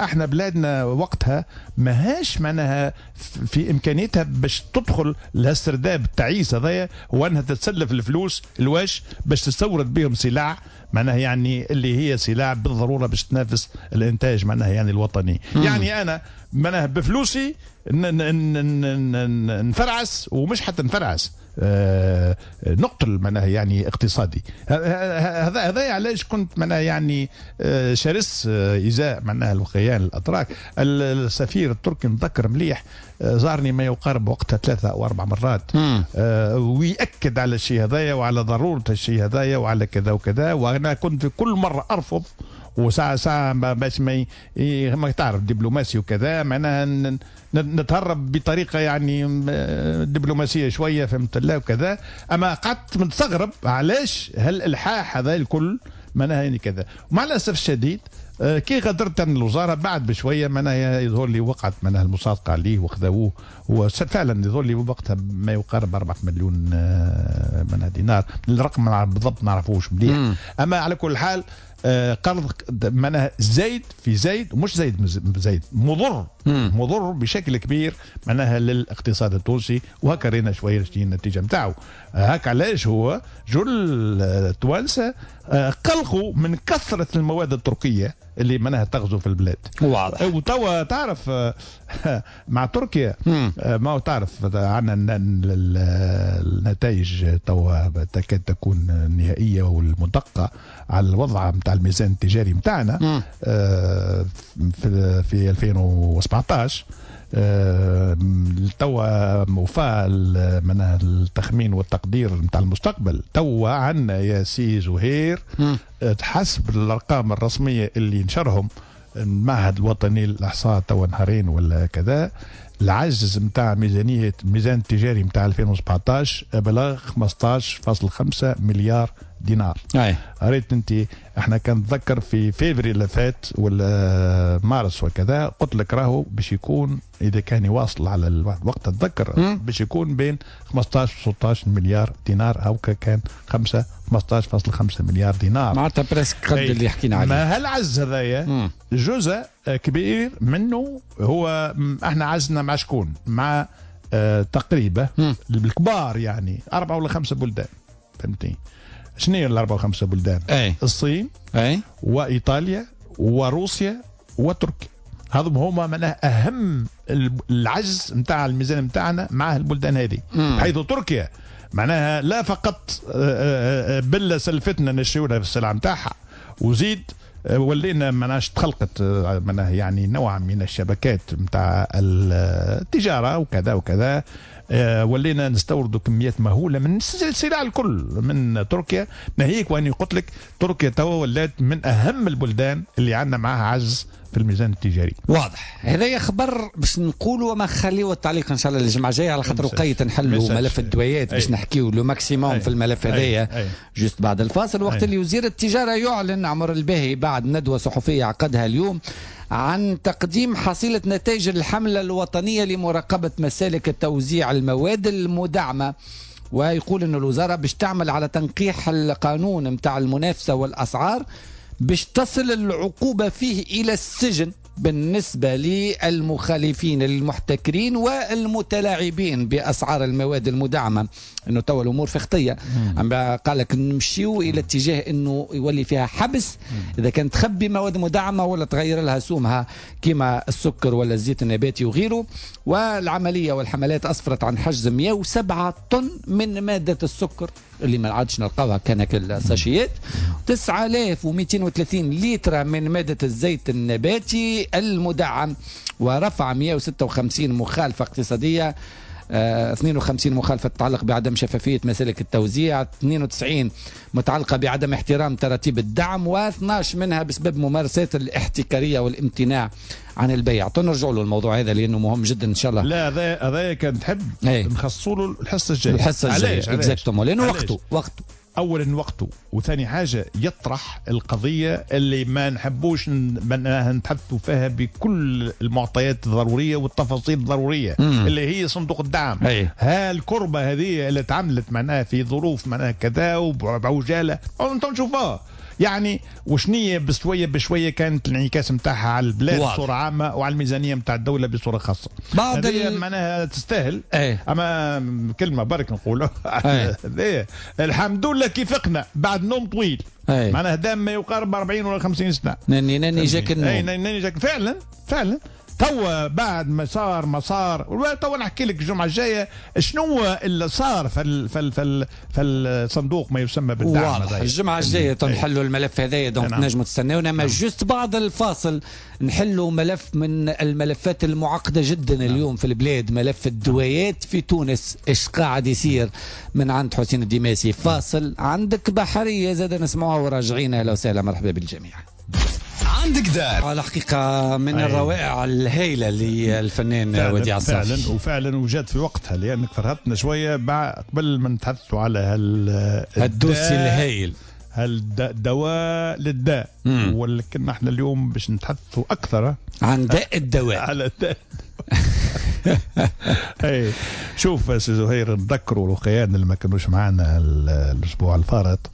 احنا بلادنا وقتها ماهاش معناها في امكانيتها باش تدخل لهالسرداب التعيس هذايا، وانها تتسلف الفلوس الواش باش تستورد بهم سلع معناها يعني اللي هي سلع بالضرورة باش تنافس الانتاج معناها يعني الوطني. يعني انا معناها بفلوسي نفرعس، ومش حتى نفرعس، نقتل معناها يعني اقتصادي. هذا علاش كنت معناها يعني شرس ازاء معناها الوخيان الاتراك. السفير التركي نتذكر مليح زارني ما يقارب وقتها 3 أو 4 مرات، ويأكد على الشيء هذايا وعلى ضرورة الشيء هذايا وعلى كذا وكذا، وانا كنت في كل مرة ارفض، وساعة ساعة باش ما تعرف دبلوماسي وكذا معناها نتهرب بطريقة يعني دبلوماسية شوية فهمت لا وكذا. أما قعدت مستغرب علاش هالإلحاح هذا الكل معناها يعني كذا. ومع الأسف الشديد كي غادرت من الوزارة بعد بشوية معناها يظهر لي وقعت معناها المصادقة عليه وخذوه، وفعلا يظهر لي وقتها ما يقارب 4 مليون معناها دينار، الرقم بالضبط ما نعرفوش مليح. أما على كل حال قرض معناها زايد في زايد، ومش زايد زايد، مضر مضر بشكل كبير معناها للاقتصاد التونسي، وهكا رينا شوية النتيجة نتاعو. هكا علاش هو جل التوانسة قلقوا من كثرة المواد التركية اللي معناها تغزو في البلاد. واضح. وتوا تعرف مع تركيا ما هو تعرف عندنا النتائج توا تكاد تكون نهائية والمدقه على الوضع نتاع الميزان التجاري نتاعنا في 2017. توا وفاء معناها التخمين والتقدير نتاع المستقبل. توا عندنا يا سي زهير حسب الارقام الرسمية اللي نشرهم المعهد الوطني للاحصاء توا نهارين ولا كذا، العجز نتاع ميزانية الميزان التجاري نتاع 2017 بلغ 15.5 مليار دينار. ريت انت احنا كان نتذكر في فيفري اللي فات ولا مارس وكذا قلت لك راهو باش يكون اذا كان يواصل على الوقت تتذكر باش يكون بين 15 و 16 مليار دينار، او كان 15.5 مليار دينار، معناتها presque قد اللي حكينا عليه. ما هالعجز هذايا جزء كبير منه هو احنا عجزنا مع شكون؟ مع تقريبا الكبار يعني 4 ولا 5 بلدان، فهمتني؟ شنو هي ال4 و5 بلدان؟ الصين وايطاليا وروسيا وتركيا. هذم هما معناها اهم العجز نتاع الميزان نتاعنا مع البلدان هذه، حيث تركيا معناها لا فقط بلة سلفتنا نشريو لها في السلعة نتاعها، وزيد ولينا معناش تخلقت معناها يعني نوع من الشبكات نتاع التجارة وكذا وكذا. ولينا نستوردوا كميات مهولة من السلع الكل من تركيا، ناهيك واني قلت لك تركيا توا ولات من اهم البلدان اللي عندنا معها عجز في الميزان التجاري. واضح، هذا خبر باش نقولوا وما خليوا التعليق ان شاء الله الجمعة الجاية، على خاطر وقيت نحلوا ملف الدويات باش نحكيو le maximum في الملف هذايا juste بعد الفاصل. وقت اللي وزير التجارة يعلن عمر الباهي بعد ندوه صحفية عقدها اليوم عن تقديم حصيلة نتائج الحملة الوطنية لمراقبة مسالك توزيع المواد المدعمة، ويقول أن الوزارة باش تعمل على تنقيح القانون متاع المنافسة والأسعار باش تصل العقوبة فيه إلى السجن بالنسبة للمخالفين المحتكرين والمتلاعبين بأسعار المواد المدعمة. أنه توا الأمور في خطية، قال لك نمشيو إلى اتجاه أنه يولي فيها حبس إذا كانت تخبي مواد مدعمة ولا تغير لها سومها كما السكر ولا الزيت النباتي وغيره. والعملية والحملات أسفرت عن حجز 107 طن من مادة السكر اللي ما عادش نلقاوها كان الساشيات، 9230 لتر من مادة الزيت النباتي المدعم، ورفع 156 مخالفة اقتصادية، 52 مخالفة تتعلق بعدم شفافية مسالك التوزيع، 92 متعلقة بعدم احترام تراتيب الدعم، و12 منها بسبب ممارسات الاحتكارية والامتناع عن البيع. نرجع له الموضوع هذا لأنه مهم جدا إن شاء الله. لا هذا كان تحب نخصصوا له الحصة الجاية. الحصة الجاية exactement، لأنه وقته اولا وقته، وثاني حاجة يطرح القضية اللي ما نحبوش نتحدثوا فيها بكل المعطيات الضرورية والتفاصيل الضرورية اللي هي صندوق الدعم. ها الكربة هذه اللي تعملت معناها في ظروف معناها كذا وبعجاله انتم نشوفوها يعني وشنية بشوية بشوية كانت الانعكاس نتاعها على البلاد بصورة عامة وعلى الميزانية نتاع الدولة بصورة خاصة. بعض معناها تستاهل. اما كلمة برك نقولها الحمد لله كي فقنا بعد نوم طويل. معناها دام ما يقارب 40 ولا 50 سنة. ناني جاك النوم. ناني جاك فعلا فعلا. توا بعد ما صار توا نحكي لك الجمعة الجاية شنو اللي صار في في في في الصندوق ما يسمى بالدعم. واضح الجمعة الجاية تنحلوا الملف هذايا، donc تنجموا تستناونا. ما juste بعد الفاصل نحلوا ملف من الملفات المعقدة جدا اليوم في البلاد، ملف الدوايات في تونس، ايش قاعد يصير من عند حسين الدماسي. فاصل عندك بحرية زاد نسمعوها وراجعين. اهلا وسهلا، مرحبا بالجميع. عندك دار على حقيقة من الروائع الهائلة للفنان وديع الصافي. فعلا وفعلا وجات في وقتها، لأنك فرهدتنا شوية قبل ما نتحدثوا على هال dossier الهائل، هالدواء للداء، ولكن احنا اليوم باش نتحدثوا أكثر عن داء الدواء. على داء. اي شوف سي زهير، نذكروا الوقيان اللي ما كانوش معنا الاسبوع الفارط.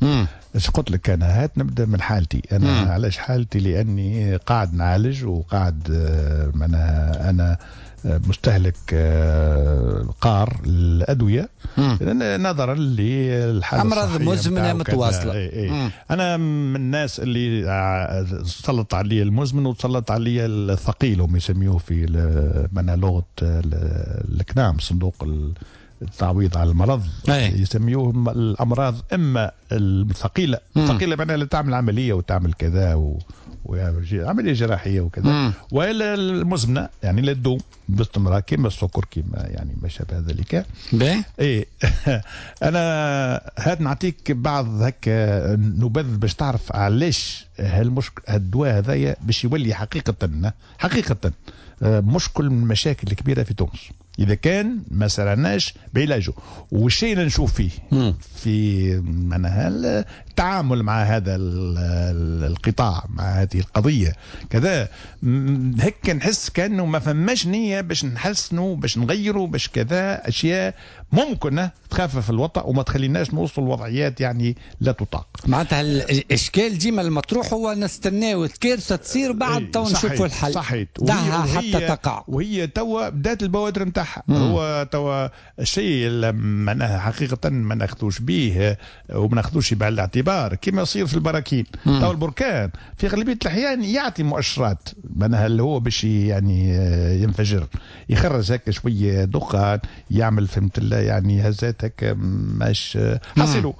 ايش قلت لك انا؟ هات نبدا من حالتي انا. علاش حالتي؟ لاني قاعد نعالج وقاعد معناها انا مستهلك قار الادوية نظرا للحالة امراض مزمنة متواصلة. انا من الناس اللي سلط علي المزمن وتسلط علي الثقيل، هم يسميوه في معناها لغة الكنام صندوق التعويض على المرض. يسميوه الامراض اما الثقيلة، الثقيلة معناها اللي تعمل عملية وتعمل كذا عملية جراحية وكذا، والا المزمنة يعني اللي تدوم باستمرار كما السكر كما يعني ما شابه ذلك. اي انا هاد نعطيك بعض هكا نبذ باش تعرف علاش هالمشكل الدواء هذايا باش يولي حقيقة حقيقة مشكل من المشاكل الكبيرة في تونس اذا كان ما سرعناش بعلاجه. والشيء اللي نشوف فيه في معناها التعامل مع هذا القطاع مع هذه القضية كذا، هيك نحس كانه ما فماش نيه باش نحسنوا باش نغيروا باش كذا اشياء ممكن تخفف الوطأ وما تخليناش نوصل لوضعيات يعني لا تطاق. معناتها الاشكال ديما المطروح هو نستناو الكارثة تصير بعد تو نشوفوا الحل. صحيت، دعها حتى تقع. وهي توا بدات البوادر نتاعها. نتاعها. هو توا الشيء اللي معناها حقيقة ما ناخذوش به وما ناخذوش بعين الاعتبار كما يصير في البراكين. توا البركان في غالبية الاحيان يعطي مؤشرات معناها اللي هو باش يعني ينفجر، يخرج هكا شوية دخان، يعمل فهمت يعني هزات هكا ماش حصلوا.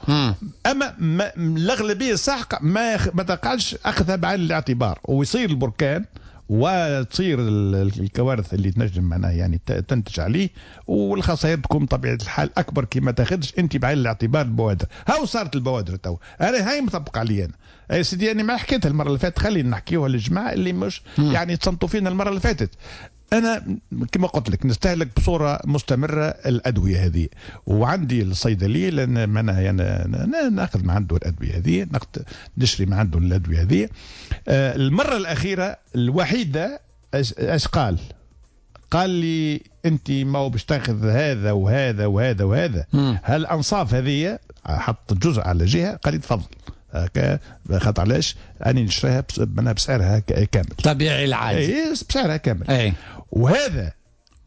اما الاغلبية الساحقة ما تقعش اخذها بعين الاعتبار، ويصير البركان وتصير الكوارث اللي تنجم معناها يعني تنتج عليه، والخسائر تكون بطبيعة الحال اكبر كي ما تاخذش انت بعين الاعتبار البوادر. هاو صارت البوادر تو، انا هاي مطبق علي انا يا سيدي، انا ما حكيتها المرة اللي فاتت، خلينا نحكيوها للجماعة اللي مش يعني تصنتوا فينا المرة اللي فاتت. انا كما قلت لك نستهلك بصورة مستمرة الادوية هذه، وعندي الصيدلية لان معناها يعني ناخذ من عنده الادوية هذه، نشري من عنده الادوية هذه. المرة الاخيرة الوحيدة اش قال؟ قال لي انت ما هو باش تاخذ هذا وهذا وهذا وهذا، هالانصاف هذه حط جزء على جهة، قال لي تفضل خاطر علاش اني نشريها بسعرها كامل طبيعي العادي، اي بسعرها كامل. أي. وهذا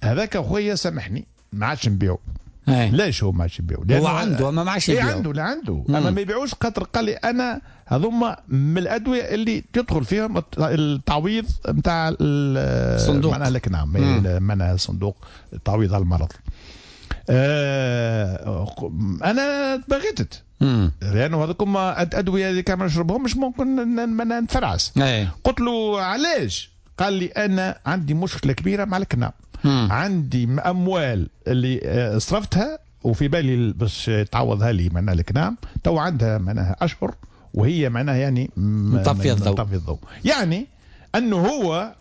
هذاك خويا سامحني ما عادش نبيعو. ليش هو ما عادش يبيعو؟ هو عنده اما ما عادش يبيعو. عنده لا عنده اما ما يبيعوش، خاطر قال لي انا هذوما من الادوية اللي تدخل فيهم التعويض نتاع الصندوق، معناها لك نعم معناها صندوق التعويض على المرض. انا تبغيتت لانه هذوك ادوية اللي كان ما نشربهمش ممكن نتفرعس. قلت له علاش؟ قال لي انا عندي مشكلة كبيرة مع الكنام، عندي اموال اللي صرفتها وفي بالي باش تعوضها لي معناها الكنام، تو عندها معناها اشهر وهي معناها يعني مطفيه الضوء. يعني انه هو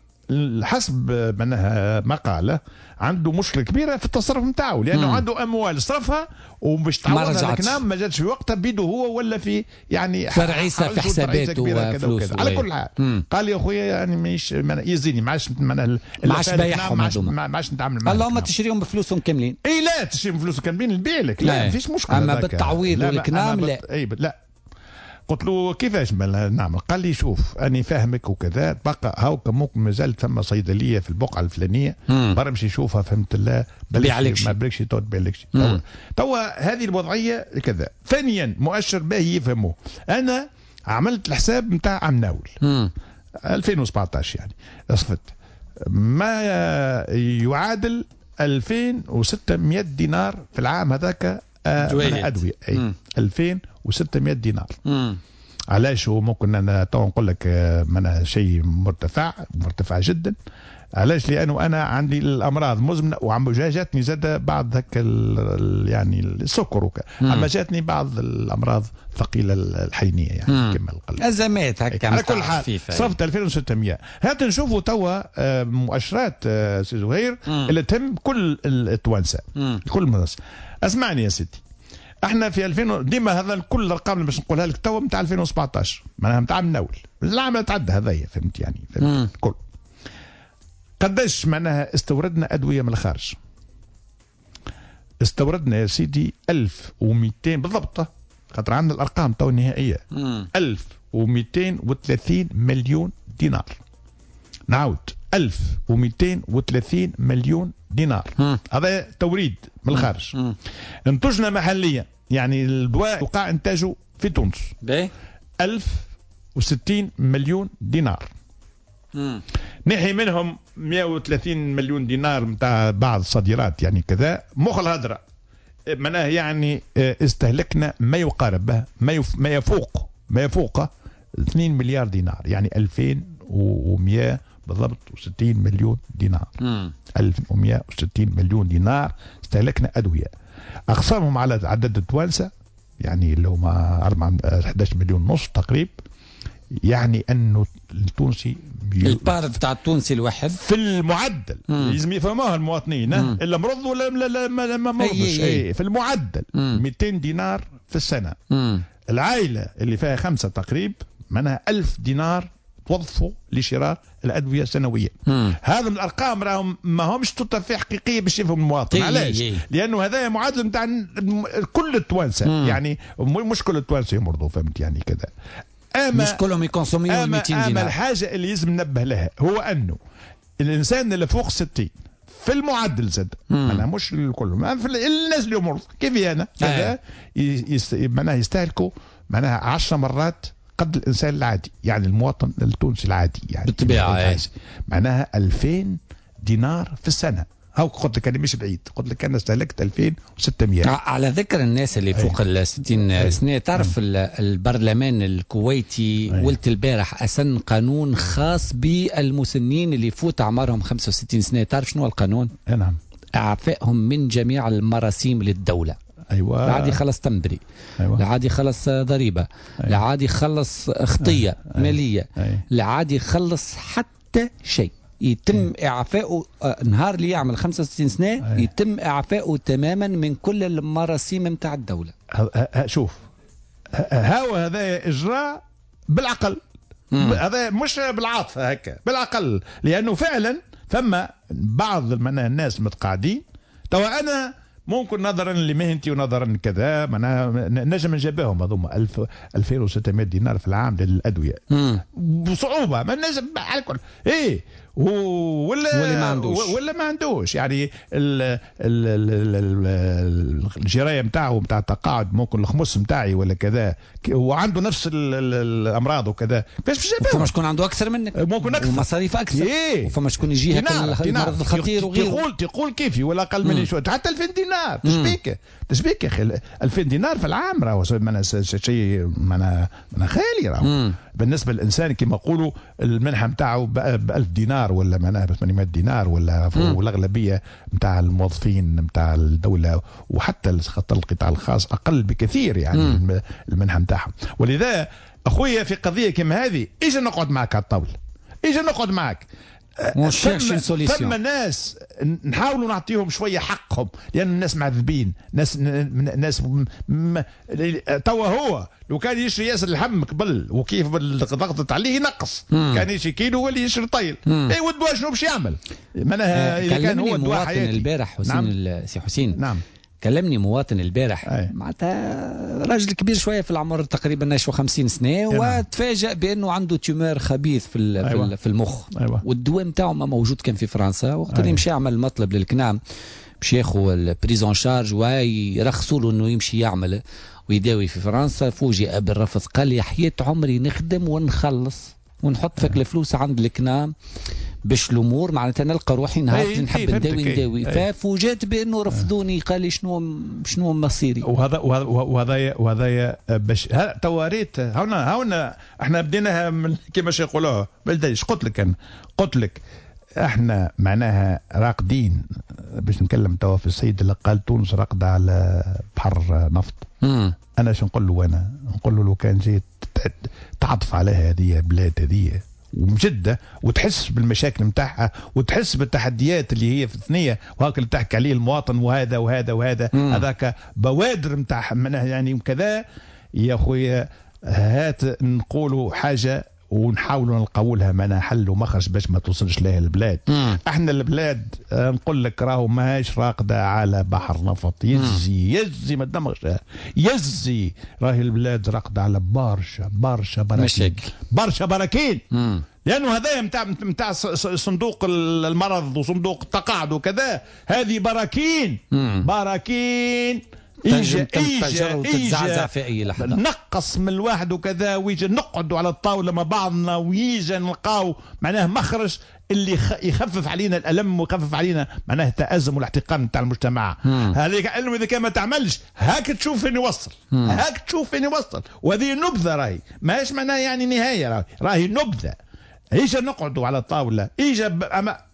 حسب معناها مقاله عنده مشكلة كبيرة في التصرف نتاعو، لانه عنده اموال صرفها وباش تعوضها الكنام ما جاتش في وقتها بيده هو، ولا في يعني فرعيسه في حساباته وفلوسه. على كل حال قال لي يا خويا يعني ماهيش يزيني ما عادش ما عادش بايعهم، ما عادش نتعامل معاهم. اللهم تشريهم بفلوسهم كاملين. اي لا تشريهم بفلوسهم كاملين نبيع لك، لا ما فيش مشكلة، اما بالتعويض والكنام لا. اي لا. قلت له كيفاش نعمل؟ قال لي شوف أنا فاهمك وكذا، بقى هاوك ممكن مازال ثم صيدلية في البقعة الفلانية، برا مشي شوفها فهمت الله، بيع ما بلكش تو تبيع لكش. توا هذه الوضعية كذا. ثانيا مؤشر باهي يفهموه، أنا عملت الحساب نتاع عام ناول 2017 يعني صفت ما يعادل 2600 دينار في العام هذاك أدوية. أي 2600 دينار. علاش هو ممكن انا تو نقول لك معناها شيء مرتفع مرتفع جدا. علاش؟ لانه انا عندي الامراض مزمنة وعم جاتني زاد بعض هك يعني السكر، اما جاتني بعض الامراض الثقيلة الحينيه يعني كما القلب، ازمات هكا. على كل حال صرفت 2600. هات نشوفوا توا مؤشرات سي زهير اللي تهم كل التوانسة، كل الناس. اسمعني يا سيدي، احنا في 2000 ديما هذا كل الارقام اللي باش نقولها لك توا نتاع 2017 معناها نتاع من اول العام اللي تعدى هذايا، فهمت يعني؟ فهمت كل قداش معناها استوردنا ادوية من الخارج. استوردنا يا سيدي 1200 بالضبط، خاطر عندنا الارقام تو النهائية، 1230 مليون دينار. نعاود 1230 مليون دينار. هذا توريد من الخارج. انتجنا محليا يعني الدواء وقع انتاجه في تونس 1060 مليون دينار. نحي منهم 130 مليون دينار نتاع بعض الصادرات يعني كذا. مخ الهدرة معناها يعني استهلكنا ما يقارب ما يفوق 2 مليار دينار، يعني 2100 بالضبط و60 مليون دينار. 1160 مليون دينار استهلكنا أدوية. أقسامهم على عدد التوانسة يعني اللي هما 11 مليون ونص تقريبا، يعني أنه التونسي البار بتاع التونسي الواحد في المعدل لازم يفهموها المواطنين، الا مرض ولا ما مرضش، في المعدل 200 دينار في السنة. العائلة اللي فيها 5 تقريب معناها 1000 دينار توظفوا لشراء الادوية سنويا. هذا من الارقام راهم ما همش تطفي حقيقية باش يفهم المواطن. علاش؟ لانه هذا معادل نتاع كل التوانسة، يعني مش كل التوانسة يمرضوا، فهمت يعني كذا. مش كلهم يكونسوميو 200 دينار. اما الحاجة اللي لازم ننبه لها هو انه الانسان اللي فوق 60 في المعدل زاد، معناها مش الكل، في الناس اللي مرض كيف انا كذا معناها يستهلكوا معناها 10 مرات قد الانسان العادي، يعني المواطن التونسي العادي يعني بالطبيعة معناها 2000 دينار في السنة. هاو قلت لك انا مش بعيد، قلت لك انا استهلكت 2600. على ذكر الناس اللي فوق ال 60 سنة، تعرف البرلمان الكويتي ولت البارح اسن قانون خاص بالمسنين اللي فوت اعمارهم 65 سنة. تعرف شنو القانون؟ نعم. اعفائهم من جميع المراسيم للدولة. ايوه. لا عاد يخلص تنبري. أيوة. لا عاد يخلص ضريبة. أيوة. لا عاد يخلص خطيه. أيوة. ماليه. أيوة. لا عاد يخلص حتى شيء. يتم اعفائه نهار اللي يعمل 65 سنة. يتم اعفائه تماما من كل المراسيم نتاع الدولة. شوف، هاو هذا اجراء بالعقل، هذا مش بالعاطفه هكا، بالعقل، لانه فعلا فما بعض الناس متقاعدين. توا انا ممكن نظرا لمهنتي ونظرا كذا معناها نجم نجابهم هذوما 2600 دينار في العام للادوية بصعوبة، ما نجم على الكل. ايه ولا ما عندوش، ولا ما عندوش يعني الجرايه نتاعو نتاع التقاعد ممكن الخمس نتاعي ولا كذا، وعنده نفس الامراض وكذا، كيفاش باش يجابهم؟ فما شكون عنده اكثر منك، ممكن اكثر ومصاريف اكثر. إيه؟ وفما شكون يجيه المرض الخطير وغيره. تقول كيفي ولا اقل مني شوية، حتى 2000 دينار تشبيك يا اخي، 2000 دينار في العام راهو شيء معناها خيالي راهو. بالنسبة للانسان كما نقولوا المنحة نتاعو ب 1000 دينار ولا معناها ب 800 دينار ولا، والاغلبيه نتاع الموظفين نتاع الدولة وحتى القطاع الخاص اقل بكثير يعني المنحة نتاعهم. ولذا اخويا في قضية كما هذه اجي نقعد معك على الطاولة، اجي نقعد معك، ثم ناس نحاولوا نعطيهم شوية حقهم، لان الناس معذبين، ناس توا هو لو كان يشري ياسر اللحم قبل وكيف ضغطت عليه ينقص، كان يشري كيلو ولا يشري طيل. اي والدواء شنو باش يعمل؟ معناها اذا كان هو الدواء حياتي. البارح حسين. نعم. سي حسين. نعم. كلمني مواطن البارح، معناتها راجل كبير شوية في العمر، تقريبا 50 سنة، وتفاجأ بانه عنده tumeur خبيث في أيوة. في المخ. أيوة. والدواء نتاعو ما موجود كان في فرنسا. وقت اللي مشى عمل مطلب لل CNAM باش ياخذ ال prise en charge ويرخصوا له انه يمشي يعمل ويداوي في فرنسا، فوجئ بالرفض. قال لي حياة عمري نخدم ونخلص ونحط فيك الفلوس عند ال CNAM باش الامور معناتها نلقى روحي نهار اللي نحب نداوي. ففوجئت بانه رفضوني. قال لي شنو مصيري؟ وهذا باش توا ريت هنا احنا بديناها من كيما يقولوها بالدليل. قلت لك انا، قلت لك احنا معناها راقدين. باش نكلم توا في السيد اللي قال تونس راقده على بحر نفط. انا شو نقول له؟ انا نقول له لو كان جيت تعطف عليها هذه بلاد هذه ومجده، وتحس بالمشاكل نتاعها وتحس بالتحديات اللي هي في الثنية، وهاك اللي تحكي عليه المواطن وهذا وهذا وهذا، هذاك بوادر نتاع يعني وكذا. يا خويا هات نقولوا حاجة ونحاولوا نلقاو لها معناها حل ومخرج باش ما توصلش لها البلاد. احنا البلاد نقول لك راهو ماهيش راقده على بحر نفط. يزي ما تدمغش، يزي راهي البلاد راقده على برشا برشا براكين، برشا براكين. لانه هذا نتاع صندوق المرض وصندوق التقاعد وكذا، هذه براكين. براكين تنجم تنفجر وتتزعزع في اي لحظة. نقص من الواحد وكذا، ويجي نقعدوا على الطاولة مع بعضنا ويجي نلقاو معناه مخرج اللي يخفف علينا الالم ويخفف علينا معناه التازم والاحتقان نتاع المجتمع. هذيك علم اذا كان ما تعملش هاك تشوف فين يوصل، هاك تشوف فين يوصل. وهذه نبذه راهي ماهيش معناها يعني نهاية، راهي نبذه. ايجا نقعدوا على الطاولة، ايجا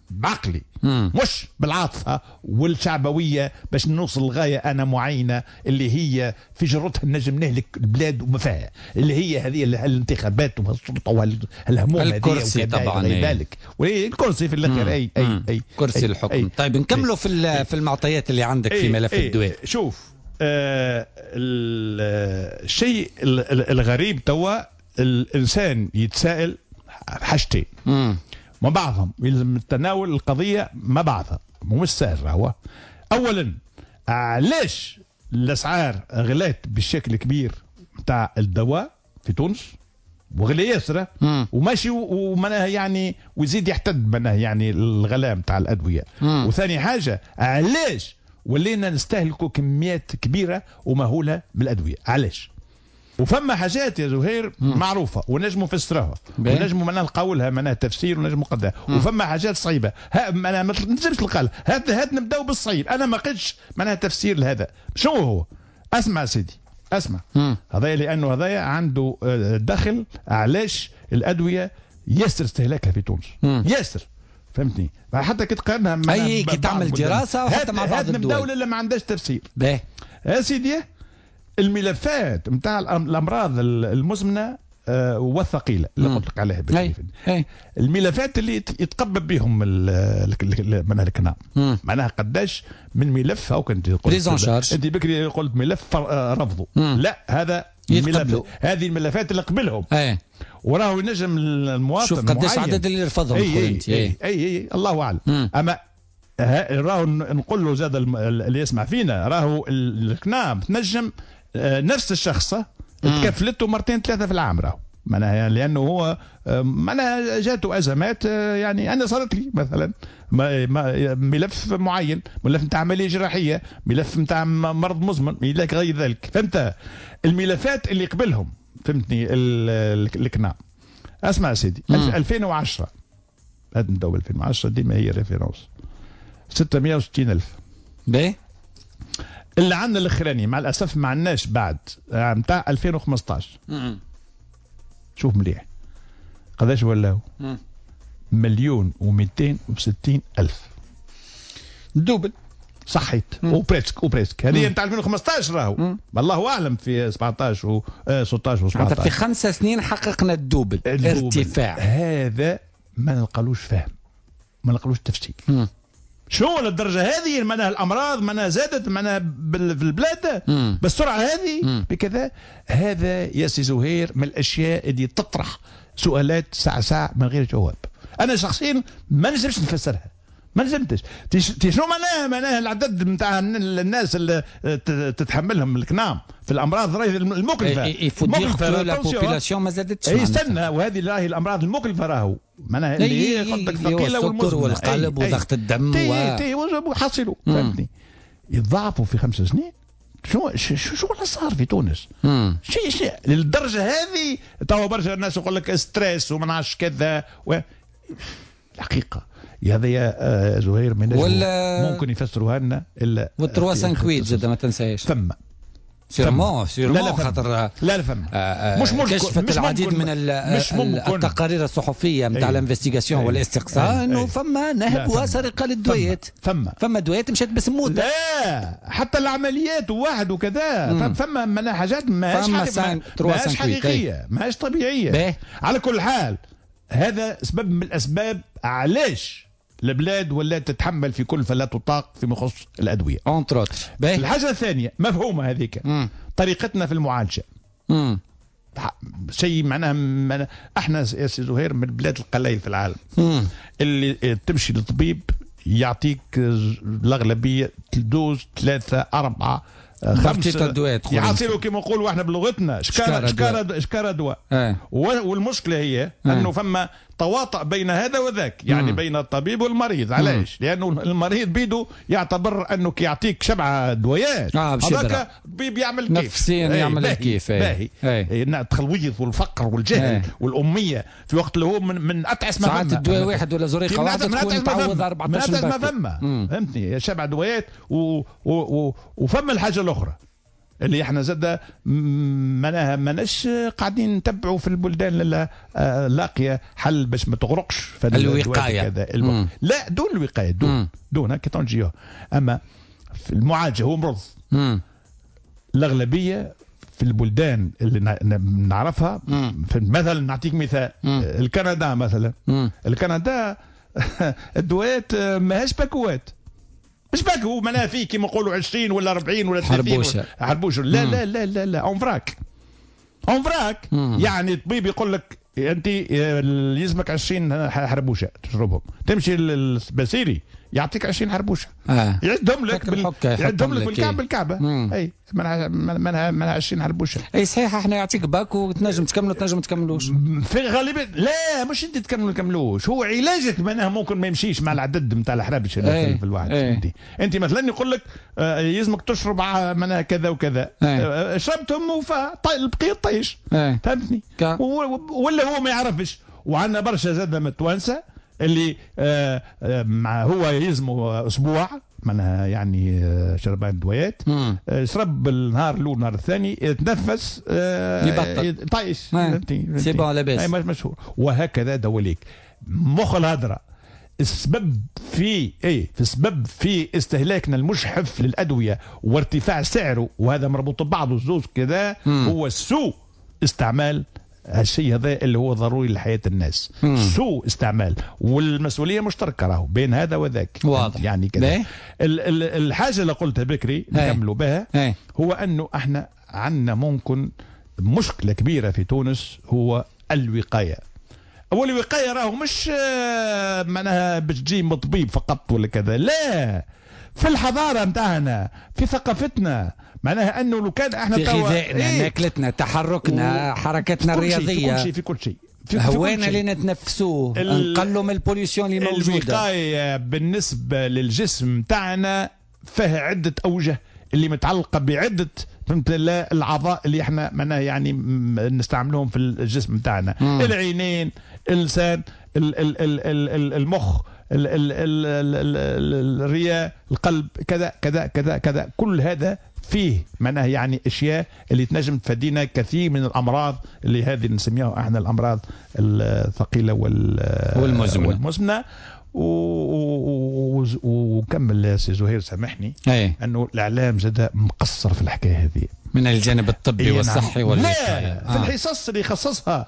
بعقلي مش بالعاطفه والشعبويه باش نوصل لغاية انا معينة اللي هي في جرتها نجم نهلك البلاد وما فيها، اللي هي هذه الانتخابات والسلطة والهموم هذه الكرسي طبعا بالك والكرسي في الاخر. اي اي اي كرسي الحكم. أي. طيب نكملوا في المعطيات اللي عندك في ملف الدواء. شوف الشيء الغريب توا الانسان يتساءل حاجتين مع بعضهم، يلزم تناول القضية مع بعضها، مش سهل هو. أولا علاش الأسعار غلات بالشكل كبير نتاع الدواء في تونس وغلي ياسر وماشي ومعناها يعني ويزيد يحتد معناها يعني الغلاء نتاع الادوية. وثاني حاجة، علاش ولينا نستهلكوا كميات كبيرة ومهوله من الادوية؟ علاش؟ وفما حاجات يا زهير معروفة ونجموا نفسروها ونجموا معناها نلقاو لها معناها تفسير ونجموا قدها، وفما حاجات صعيبة معناها ما تنجمش تلقى. هات نبداو بالصعيب. انا ما لقيتش معناها تفسير لهذا. شنو هو؟ اسمع سيدي، اسمع هذا، لانه هذايا عنده دخل. علاش الادوية ياسر استهلاكها في تونس؟ ياسر، فهمتني؟ حتى كي تقارنها مع اي كي تعمل دراسة وحتى مع بعض الدول. الدولة اللي ما عندهاش تفسير. باهي يا سيدي، الملفات نتاع الامراض المزمنة والثقيله اللي قلت لك عليها بالكيف. الملفات اللي يتقبل بهم معناها الكنام، معناها قداش من ملف. او كنت قلت انت بكري قلت ملف رفضه، لا هذا الملف، هذه الملفات اللي قبلهم. وراهو ينجم المواطن شوف قداش عدد اللي رفضهم. اي اي, أي, أي الله اعلم. اما راهو نقول له زاد اللي يسمع فينا، راهو الكنام تنجم نفس الشخص تكفلته مرتين ثلاثة في العام، راهو معناها لانه هو معناها جاته ازمات. يعني انا صارت لي مثلا ملف معين، ملف نتاع عملية جراحية، ملف نتاع مرض مزمن الى غير ذلك، فهمت؟ الملفات اللي قبلهم، فهمتني الكنام. اسمع سيدي، 2010 هذا نبداو 2010 ديما هي référence، 660 ألف. باهي اللي عندنا الاخراني مع الاسف ما عندناش بعد نتاع 2015. شوف مليح قداش ولاو؟ 1,260,000، double. صحيت ou presque ou presque. هذه نتاع 2015 راهو، الله اعلم في 17 و 16 و 17. في 5 سنين حققنا ال double ارتفاع. هذا ما نلقالوش فهم، ما نلقالوش تفسير. شو للدرجة هذه معناها الامراض معناها زادت معناها في البلاد بالسرعة هذه بكذا؟ هذا يا سي زهير من الاشياء اللي تطرح سؤالات ساعة ساعة من غير جواب. انا شخصيا ما نجمش نفسرها، ما نجمتش. شنو معناها العدد نتاع الناس اللي تتحملهم الكنام في الامراض راهي المكلفه. il faut dire que la population ما زادتش. استنى، وهذه راهي الامراض المكلفه راهو معناها اللي هي قلت لك الثقيلة والمزمنه والقلب وضغط الدم تي وحصلوا، فهمتني؟ يتضاعفوا في 5 سنين. شو شو اللي صار في تونس؟ شيء للدرجة هذه. توا برشا الناس يقول لك stress وما نعرفش كذا الحقيقة هذا يا زهير من ممكن يفسروها لنا الا وال trois cinq-huit زاد ما تنساهاش. فما sûrement sûrement خاطر لا فما مش ممكن. كشفت العديد من التقارير الصحفية نتاع ال investigation والاستقصاء انه فما نهب وسرقة للدويات. فما دويات مشات باسم لا حتى العمليات وواحد وكذا. فما معناها حاجات ماهيش حقيقية، ماهيش طبيعية. على كل حال هذا سبب من الاسباب علاش البلاد ولات تتحمل في كل فلا تطاق فيما يخص الادوية. entre autres. الحاجة الثانية مفهومه هذيك، طريقتنا في المعالجة. شيء معناها احنا يا سي زهير من البلاد القليل في العالم اللي تمشي للطبيب يعطيك الاغلبية dose 3 4 5 دواء، يعطيله كما نقولوا احنا بلغتنا شكاره شكاره شكاره دواء. والمشكلة هي انه فما تواطؤ بين هذا وذاك، يعني بين الطبيب والمريض. علاش؟ لانه المريض بيدو يعتبر انه كي يعطيك 7 دوايات هذاك الطبيب يعمل كيف نفسيا يعمل كيف. باهي التخلويض والفقر والجهل والاميه في وقت اللي هو من اتعس ما فما. ساعات الدواء واحد ولا زريقه واحدة تكون تعوض 14 من ما فما، فهمتني؟ 7 دوايات وفما الحاجة الاخرى اللي احنا زاد معناها ماناش قاعدين نتبعوا في البلدان اللي لاقيه حل باش ما تغرقش في الوقاية. لا دون الوقاية، دون هكا تنجيوها. اما في المعالجة هو مرض. الاغلبية في البلدان اللي نعرفها، مثلا نعطيك مثال الكندا مثلا. الكندا الدوات ماهيش باكوات، مش باكو معناها فيه كيما نقولوا 20 ولا 40 ولا 30 حربوشه. لا لا لا لا لا، en vrac en vrac. يعني الطبيب يقول لك انت يلزمك 20 حربوشه تشربهم، تمشي للبسيري يعطيك 20 حربوشه. يعدهم لك يعدهم لك بالكعب بالكعبة. اي منها 20 حربوشه. اي صحيح، احنا يعطيك paquet وتنجم تكملوا تنجم تكملوش. في غالبا لا، مش انت تكملوا تكملوش، هو علاجك معناها ممكن ما يمشيش مع العدد نتاع الحرابش اللي في الواحد. انت مثلا يقول لك يلزمك تشرب معناها كذا وكذا، شربتهم وفا البقية طيش. فهمتني؟ ولا هو ما يعرفش. وعندنا برشا زاد من التوانسة اللي مع هو يلزمه اسبوع معناها يعني شربان دوايات، شرب النهار الاول النهار الثاني يتنفس يبطل طايش، c'est bon لاباس مشهور. وهكذا دواليك مخ الهدرة. السبب في ايه؟ في السبب في استهلاكنا المجحف للادوية وارتفاع سعره، وهذا مربوط ببعضه الزوز كذا، هو سوء استعمال هالشيء هذا اللي هو ضروري لحياة الناس. سوء استعمال، والمسؤولية مشتركة راهو بين هذا وذاك. واضح يعني كذا. الحاجة اللي قلتها بكري نكملوا بها، هو أنه احنا عندنا ممكن مشكلة كبيرة في تونس، هو الوقاية. أول الوقاية راهو مش معناها باش تجي من طبيب فقط ولا كذا، لا، في الحضارة نتاعنا، في ثقافتنا، معناها انه لو كان احنا في غذائنا، ماكلتنا، تحركنا، حركتنا الرياضية، في كل شيء، هوانا اللي نتنفسوه، نقلوا من ال pollution اللي موجودة. الوقاية بالنسبة للجسم تاعنا فيها عده اوجه اللي متعلقه بعده، فهمت، الاعضاء اللي احنا معناها يعني نستعملوهم في الجسم تاعنا، العينين، اللسان، المخ، الرئة، القلب، كذا كذا كذا كذا. كل هذا فيه معناها يعني اشياء اللي تنجم تفادينا كثير من الامراض اللي هذه نسميها احنا الامراض الثقيلة والمزمنه. وكمل سي زهير سامحني، انه الاعلام زاد مقصر في الحكاية هذه من الجانب الطبي والصحي والوقاية. لا، في الحصص اللي يخصصها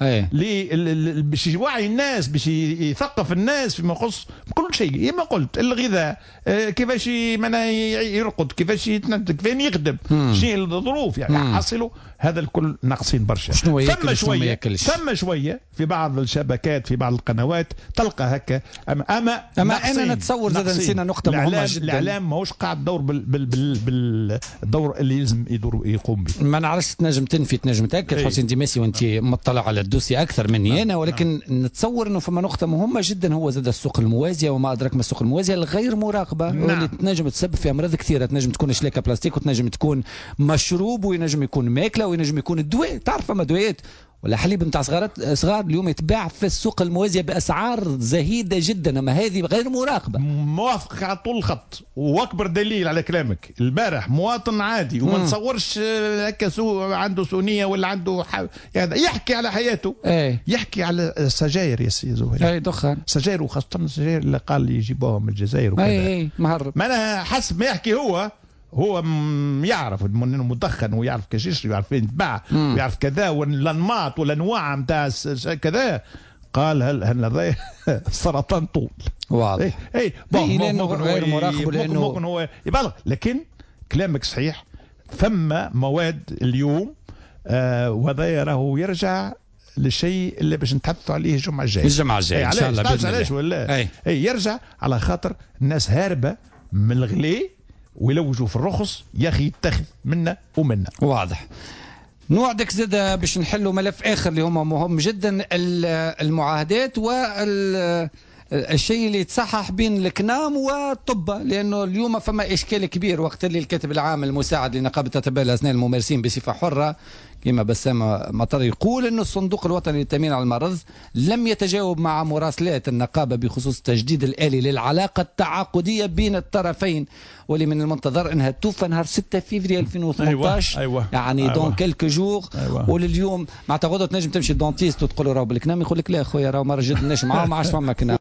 باش يوعي الناس، باش يثقف الناس فيما يخص كل شيء، كما قلت الغذاء، كيفاش معناها يرقد، كيفاش يتنتج، كيفاش يخدم، شنو الظروف يعني حصلوا. هذا الكل ناقصين برشا. شنو ياكل شنو ما ياكلش. ثم شوية في بعض الشبكات، في بعض القنوات تلقى هكا، اما انا نتصور زاد نسينا نقطة مهمة جدا. الاعلام ماهوش قاعد دور بالدور اللي يلزم يدور يقوم به. ما نعرفش، تنجم تنفي تنجم تاكد حسين ديماسي وانت مطلع على ال dossier اكثر مني انا، ولكن نتصور انه فما نقطة مهمة جدا، هو زاد السوق الموازيه وما ادراك ما السوق الموازيه الغير مراقبة، واللي تنجم تسبب في امراض كثيرة، تنجم تكون شلاكه بلاستيك، وتنجم تكون مشروب، وينجم يكون ماكله، وينجم يكون الدواء. تعرف فما دوايات ولا حليب نتاع صغار اليوم يتباع في السوق الموازيه باسعار زهيدة جدا، اما هذه غير مراقبة. موافق على طول الخط، واكبر دليل على كلامك البارح مواطن عادي وما نتصورش هكا عنده سونيه ولا عنده يعني يحكي على حياته، يحكي على السجاير يا سي زهير، اي دخان سجاير، وخاصة السجاير اللي قال يجيبوها من الجزائر وكذا، اي مهرب. معناها حسب ما يحكي هو يعرف انه مدخن، ويعرف كيفاش يشري، ويعرف فين يتباع، ويعرف كذا، والانماط والانواع نتاع كذا. قال هل هذا سرطان طول. واضح. اي لانه غير مراقب، لانه ممكن هو يبالغ، لكن كلامك صحيح. ثم مواد اليوم وهذا راهو يرجع للشيء اللي باش نتحدثوا عليه الجمعة الجاية. الجمعة الجاية ان شاء الله. علاش ولا اي يرجع على خاطر الناس هاربه من الغلي ويلوجوا في الرخص، يا اخي يتخذ منا ومنا. واضح. نوعدك زاد باش نحلوا ملف اخر اللي هو مهم جدا، المعاهدات وال الشيء اللي يتصحح بين الكنام والطب، لانه اليوم فما اشكال كبير وقت اللي الكاتب العام المساعد لنقابه اطباء الاسنان الممارسين بصفة حره كما بسام مطر يقول انه الصندوق الوطني للتامين على المرض لم يتجاوب مع مراسلات النقابة بخصوص التجديد الالي للعلاقة التعاقديه بين الطرفين، واللي من المنتظر انها توفى نهار 6 فيفري 2018. أيوة. يعني dans quelques jours. أيوة. ولليوم معناتها غدوه تنجم تمشي لل dentiste وتقول له راهو بالكنام، يقول لك لا خويا راهو ما رجدناش معاه، ما عادش فما كنام.